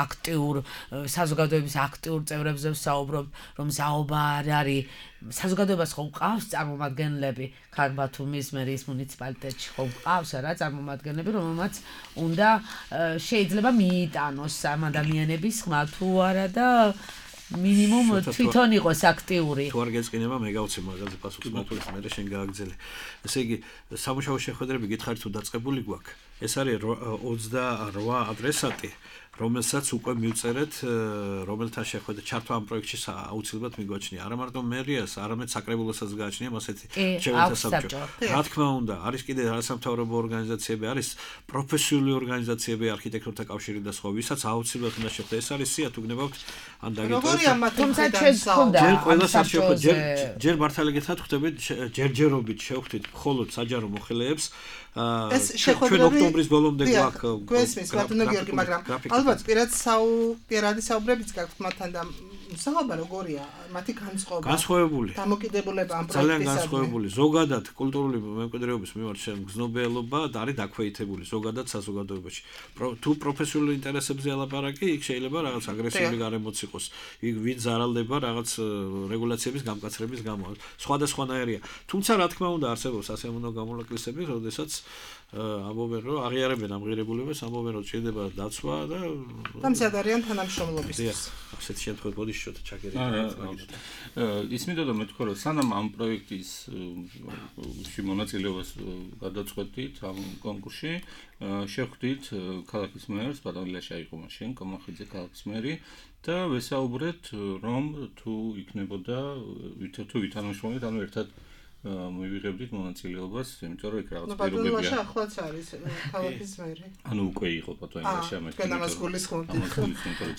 საზოგადოების აქტიურ წევრებზე ვსაუბრობ, რომ მსაობა არ არის საზოგადოებას ხო ყავს წარმომადგენლები ქართბათუმის მერის მუნიციპალიტეტში ხო ყავს რა წარმომადგენლები რომელმაც უნდა შეიძლება მიიტანოს ამ ადამიანების ხმა თუ არა და მინიმუმ თვითონ იყოს აქტიური. თუ არ გეწყინება მე გავცე მაგაზე პასუხს მათულის მე შენ გააგზელე. ესე იგი სამუშაო შეხვედრები გითხარით თუ დაწყებული გვაქვს. ეს არის 28 ადრესატი, რომელსაც უკვე მივწერეთ, რომელთან შეხვედრა ჩართვა ამ პროექტში აუცილებლად მიგვაჩნია. არა მარტო მერიას, არამედ საკრებულოსაც გააჩნია მასეთი შეხვედრა საბჭო. რა თქმა უნდა, არის კიდე არასამთავრობო ორგანიზაციები, არის პროფესიული ორგანიზაციები, არქიტექტორთა კავშირი და სხვა, ვისაც აუცილებლად უნდა შეხვდეთ. ეს არის სია თუ გნებავთ ან დაგიტოვეთ. თუმცა ჩვენ გქონდა ჯერ ყველა საშუალო ჯერ მართალი გითხრათ ხვდებით ჯერჯერობით შევხვდით მხოლოდ საჯარო მოხელეებს ეს შეხვედრები ჩვენ ოქტომბრის ბოლომდე გვაქვს გვესმის ბატონო გიორგი, მაგრამ ალბათ პირადი საუბრებიც გაქვთ მათთან და მსახობა როგორია მათი განსხვავებული დამოკიდებულება ამ პროექტისადმი ძალიან განსხვავებული ზოგადად კულტურული მემკვიდრეობის მიმართ გზნობიელობა არის დაქვეითებული ზოგადად საზოგადოებაში თუ პროფესიული ინტერესებზე ელაპარაკი იქ შეიძლება რაღაც აგრესიული გარემოც იყოს იქ ვინ ზარალდება რაღაც რეგულაციების გამკაცრების გამო სხვადასხვანაირია თუმცა რა თქმა უნდა არსებობს ასეამონო გამონაკლისები როდესაც ამბობენ რომ აღიარებენ ამ ღირებულებას ამბობენ რომ ჭირდება დაცვა და დამზად არიან თანამშრომლობისთვის ასეთ შემთხვევაში ბოდიშოთა ჩაგერები ისმინდა და მეთქვა რომ სანამ ამ პროექტის მონაწილეობას გადაწყვეტით ამ კონკურსში შეხვდით ქალაქის მერს ბატონ ილაშა იყო მაშინ კომახიძე ქალაქის მერი და ვესაუბრეთ რომ თუ იქნებოდა თუ ვითანამშრომლეთ ანუ ერთად მივიღებდით მონაწილეობას, იმიტომ რომ იქ რაღაც პირობებია. ბატონო ლაშა ახლაც არის ქალაქის მერი. ანუ უკვე იყო ბატონ ლაშა მე. თქვენ ამას გულისხმობთ. ამას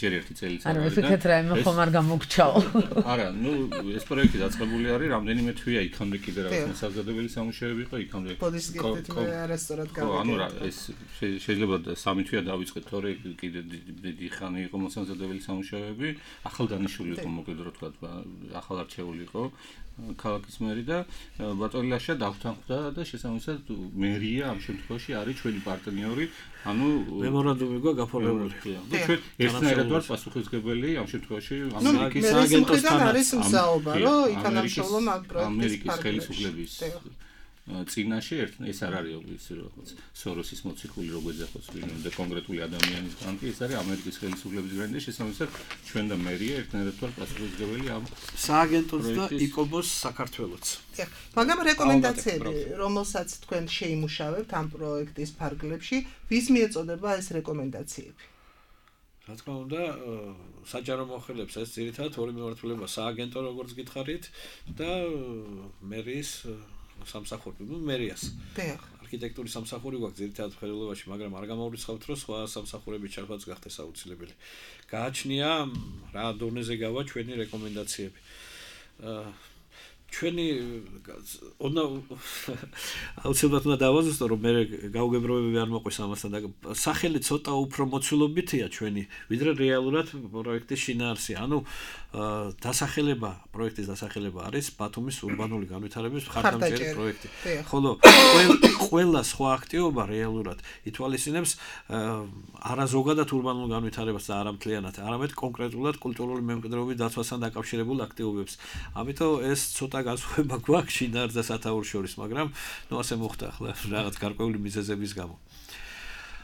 ჯერ ერთი წელი არა, ვიფიქრეთ რა მე ხომ არ გამოგჩაო. არა, ნუ ეს პროექტი დაწყებული არის, რამდენიმე თვია იქამდე კიდე რაღაც საზოგადოებრივი სამუშაოები იყო იქამდე. პოდის გიხდით მე არასწორად გავაკეთე. ანუ რა, ეს შეიძლება 3 თვია დავიწყეთ, თორე კიდე დიდი ხანი იყო მოსამზადებელი სამუშაოები, ახალ დანიშნული იყო მოკლედ რა თქვა, ახალ არჩეული იყო. ქალაქის მერი და ბატონ ლაშა დავთანხმდა და შესაბამისად მერია ამ შემთხვევაში არის ჩვენი პარტნიორი, ანუ მემორანდუმი გვაქვს გაფორმებული. და ჩვენ ერთნაირად ვართ პასუხისმგებელი ამ შემთხვევაში ამერიკის სააგენტოსთან არის მსაუბა, რომ ითანამშრომლო ამ პროექტის ამერიკის ხელისუფლების წინაშე ეს არ არის ის რაღაც სოროსის მოციქული როგორ ეძახოს ვინმე კონკრეტული ადამიანის განკი ეს არის ამერიკის ხელისუფლების გრანდი შესაბამისად ჩვენ და მერია ერთნაირად ვართ პასუხისმგებელი ამ სააგენტოს და იკობოს საქართველოს. მაგრამ რეკომენდაციები რომელსაც თქვენ შეიმუშავებთ ამ პროექტის ფარგლებში ვის მიეწოდება ეს რეკომენდაციები? რა თქმა უნდა საჯარო მოხელეებს ეს ძირითადად ორი მიმართულება სააგენტო როგორც გითხარით და მერის სამსახური, მერიას. არქიტექტურის სამსახური გვაქვს ძირითადად ხელოვნებაში, მაგრამ არ გამოვრიცხავთ, რომ სხვა სამსახურების ჩართვაც გახდეს აუცილებელი. გააჩნია რა დონეზე გავა ჩვენი რეკომენდაციები. ჩვენი აუცილებლად უნდა დავაზუსტო, რომ მე გაუგებრობები არ მოყვის ამასთან და სახელი ცოტა უფრო მოცულობითია ჩვენი, ვიდრე რეალურად პროექტის შინაარსი. ანუ დასახელება, პროექტის დასახელება არის ბათუმის ურბანული განვითარების მხარდამჭერი პროექტი. ხოლო ყველა სხვა აქტივობა რეალურად ითვალისწინებს არა ზოგადად ურბანულ განვითარებას და არა მთლიანად, არამედ კონკრეტულად კულტურული მემკვიდრეობის დაცვასთან დაკავშირებულ აქტივობებს. ამიტომ ეს ცოტა განსხვავება გვაქვს შინაარსს და სათაურს შორის, მაგრამ ნუ ასე მოხდა ახლა რაღაც გარკვეული მიზეზების გამო.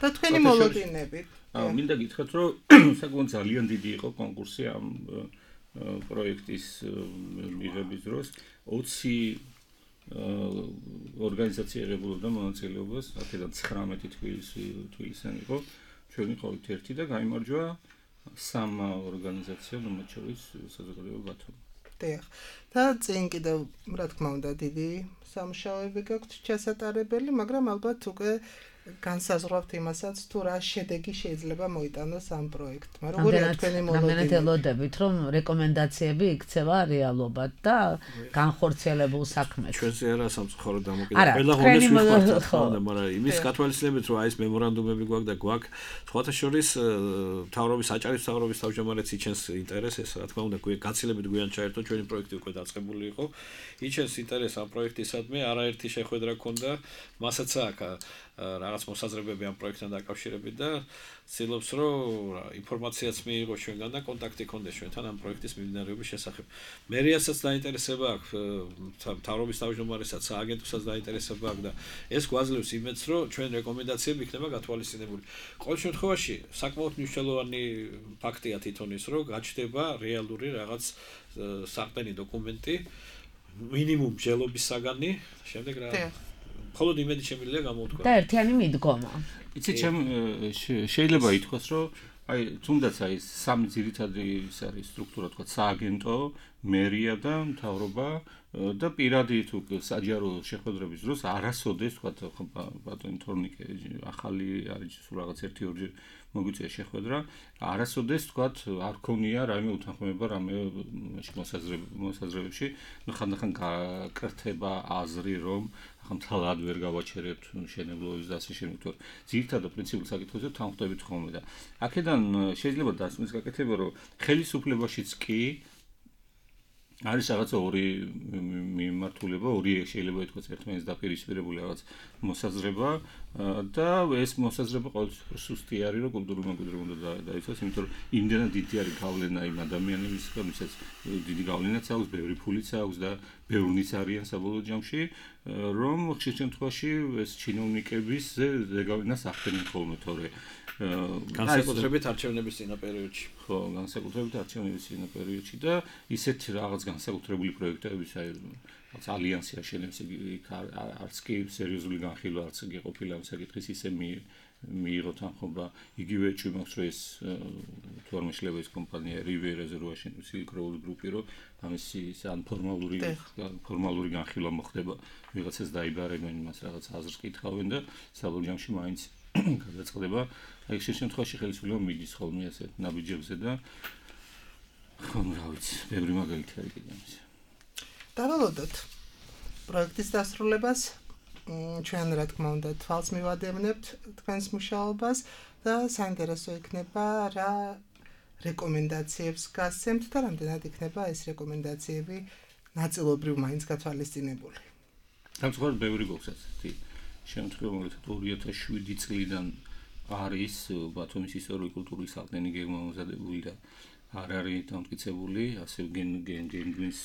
და თქვენი მოლოდინები? მინდა გითხრათ, რომ საკმაოდ ძალიან დიდი იყო კონკურსი ამ პროექტის მიღების დროს 20 ორგანიზაცია იღებულობდა მონაწილეობას, აქედან 19 თბილისიდან იყო, ჩვენ ვიყავით ერთი და გაიმარჯვა 3 ორგანიზაციამ, მათ შორის საზოგადოება ბათუმი. და წინ კიდევ რა თქმა უნდა დიდი სამუშაოები გაქვთ ჩასატარებელი, მაგრამ ალბათ უკვე განსაზღვრავთ იმასაც, თუ რა შედეგი შეიძლება მოიტანოს ამ პროექტმა. როგორია თქვენი მოლოდინები? რამდენად ელოდებით, რომ რეკომენდაციები იქცევა რეალობად და განხორციელებულ საქმეში. ჩვენზე არა სამწუხარო დამოკიდებული. ყველა ღონეს ვიხმართ, რა თქმა უნდა, მაგრამ იმის გათვალისწინებით, რომ აი ეს მემორანდუმები გვაქვს და გვაქვს, სხვათა შორის მთავრობის საჭარის მთავრობის თავმჯდომარეს იჩენს ინტერესს, რა თქმა უნდა, გაცილებით გვიან ჩაერთო ჩვენი პროექტი უკვე დაწყებული იყო. იჩენს ინტერესს ამ პროექტისადმი, არაერთი შეხვედრა ქონდა, მასაც აქვს რაღაც მოსაზრებები ამ პროექტთან დაკავშირებით და ცდილობს რომ ინფორმაციაც მიიღოს ჩვენგან და კონტაქტი ქონდეს ჩვენთან ამ პროექტის მიმდინარეობის შესახებ. მერიასაც დაინტერესება აქვს, მთავრობის თავმჯდომარესაც, სააგენტოსაც დაინტერესება აქვს და ეს გვაძლევს იმედს, რომ ჩვენ რეკომენდაციები იქნება გათვალისწინებული. ყოველ შემთხვევაში საკმაოდ მნიშვნელოვანი ფაქტია თვითონ ის, რომ გაჩნდება რეალური რაღაც საყდენი დოკუმენტი, მინიმუმ ჯელობის საგანი, შემდეგ რა მხოლოდ იმედი შემიძლია გამოვთქვა. და ერთიანი მიდგომა. იცით, შეიძლება ითქვას, რომ აი თუნდაც აი სამი ძირითადი ის არის სტრუქტურა, თქვა სააგენტო, მერია და მთავრობა და პირადი თუ საჯარო შეხვედრების დროს არასოდეს თქვა ბატონი თორნიკე ახალი არის სულ რაღაც 1-2 მოგვიწია შეხვედრა, არასოდეს თქვა არ ქონია რაიმე უთანხმოება რამე მოსაზრებებში, ну ხანდახან გაკრთება აზრი რომ ხმთალად ვერ გავაჩერებთ შენებლობის და ასე შემდეგ. ძირითადად პრინციპულ საკითხებზე თანხმდებით ხოლმე და აქედან შეიძლება დასმის გაკეთება რომ ხელისუფლებაშიც კი არის რაღაცა ორი მიმართულება, ორი შეიძლება ითქვას ერთმანეთს დაპირისპირებული რაღაც მოსაზრება და ეს მოსაზრება ყოველთვის სუსტი არის, რომ კულტურული მემკვიდრე უნდა დაიცვას, იმიტომ რომ იმდენად დიდი არის გავლენა იმ ადამიანებისგან, ვისაც დიდი გავლენაც აქვს, ბევრი ფულიც აქვს და ბევრნიც არიან საბოლოო ჯამში, რომ ხშირ შემთხვევაში ეს ჩინოვნიკების ზეგავლენას ახდენენ ხოლმე, თორე განსაკუთრებით არჩევნების წინა პერიოდში. ხო, განსაკუთრებით არჩევნების წინა პერიოდში და ისეთ რაღაც განსაკუთრებული პროექტების აი რაღაც ალიანსი აშენებს იქ არც კი სერიოზული განხილვა არც კი ყოფილა ამ საკითხის ისე მიიღო თანხმობა იგივე ჭიმავს რომ ეს თუ არ მეშლება ეს კომპანია რივიერაზე რო აშენებს სილიკროული გრუპი რომ ამისი ან ფორმალური განხილვა მოხდება ვიღაცას დაიბარებენ იმას რაღაც აზრს კითხავენ და საბოლოო ჯამში მაინც გადაწყდება აი ხშირ შემთხვევაში ხელისუფლება მიდის ხოლმე ასე ნაბიჯებზე და ხო რა ვიცი ბევრი მაგალითი არის კიდე ამის დავალოდოთ პროექტის დასრულებას ჩვენ რა თქმა უნდა თვალს მივადევნებთ თქვენს მუშაობას და საინტერესო იქნება რა რეკომენდაციებს გასცემთ და რამდენად იქნება ეს რეკომენდაციები ნაწილობრივ მაინც გათვალისწინებული. დამწყვრად ბევრი გვაქვს ასეთი შემთხვევა, რომ 2007 წლიდან არის ბათუმის ისტორიულ-კულტურული საყდენი გეგმამოზადებული და არ არის დამტკიცებული, ასე გენგენგვის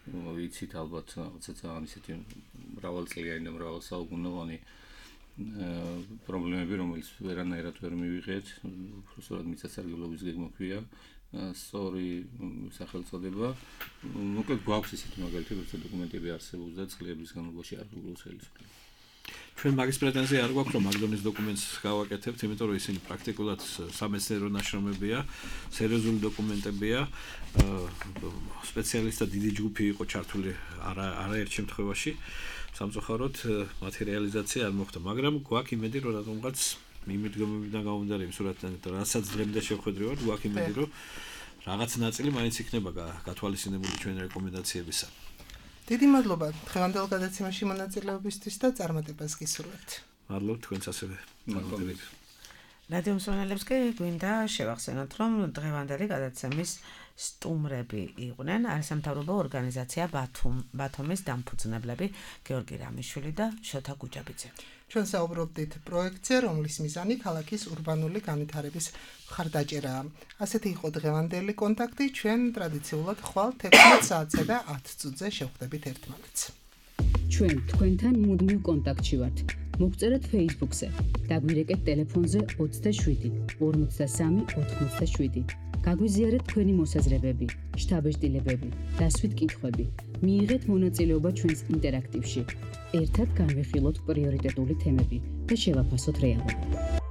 ვიცით ალბათ რაღაცა ძალიან ისეთი მრავალწლიანი და მრავალსაუკუნოვანი პრობლემები, რომელიც ვერანაირად ვერ მივიღეთ, უბრალოდ მიწათსარგებლობის გეგმა ქვია, სწორი სახელწოდება. მოკლედ გვაქვს ისეთი მაგალითები, რომ დოკუმენტები არსებობს და წლების განმავლობაში არ გულოს ხელისუფლება. ჩვენ მაგის პრეტენზია არ გვაქვს რომ მაგდონის დოკუმენტს გავაკეთებთ, იმიტომ რომ ისინი პრაქტიკულად სამეცნიერო ნაშრომებია, სერიოზული დოკუმენტებია, სპეციალისტთა დიდი ჯგუფი იყო ჩართული არაერთ შემთხვევაში, სამწუხაროდ მათი რეალიზაცია არ მოხდა, მაგრამ გვაქვს იმედი რომ რატომღაც მიმდგომებიდან გამომდინარე იმ სურათთან, რასაც დღემდე შევხვედრი ვარ, გვაქვს იმედი რომ რაღაც ნაწილი მაინც იქნება გათვალისწინებული ჩვენ რეკომენდაციებისა. დიდი მადლობა დღევანდელ გადაცემაში მონაწილეობისთვის და წარმატებას გისურვებთ. მადლობთ თქვენც ასევე. მადლობთ. რადიო მსმენელებს კი გვინდა შევახსენოთ, რომ დღევანდელი გადაცემის სტუმრები იყვნენ არასამთავრობო ორგანიზაცია ბათუმის დამფუძნებლები გეორგი რამიშვილი და შოთა გუჯაბიძე. ჩვენ საუბრობდით პროექტზე, რომლის მიზანი ქალაქის ურბანული განვითარების მხარდაჭერაა. ასეთი იყო დღევანდელი კონტაქტი, ჩვენ ტრადიციულად ხვალ 16 საათსა და 10 წუთზე შევხვდებით ერთმანეთს. ჩვენ თქვენთან მუდმივ კონტაქტში ვართ. მოგწერეთ Facebook-ზე, დაგვირეკეთ ტელეფონზე 27 53 87. გაგვიზიარეთ თქვენი მოსაზრებები, შთაბეჭდილებები, დასვით კითხვები. მიიღეთ მონაწილეობა ჩვენს ინტერაქტივში. ერთად განვიხილოთ პრიორიტეტული თემები და შევაფასოთ რეალობა.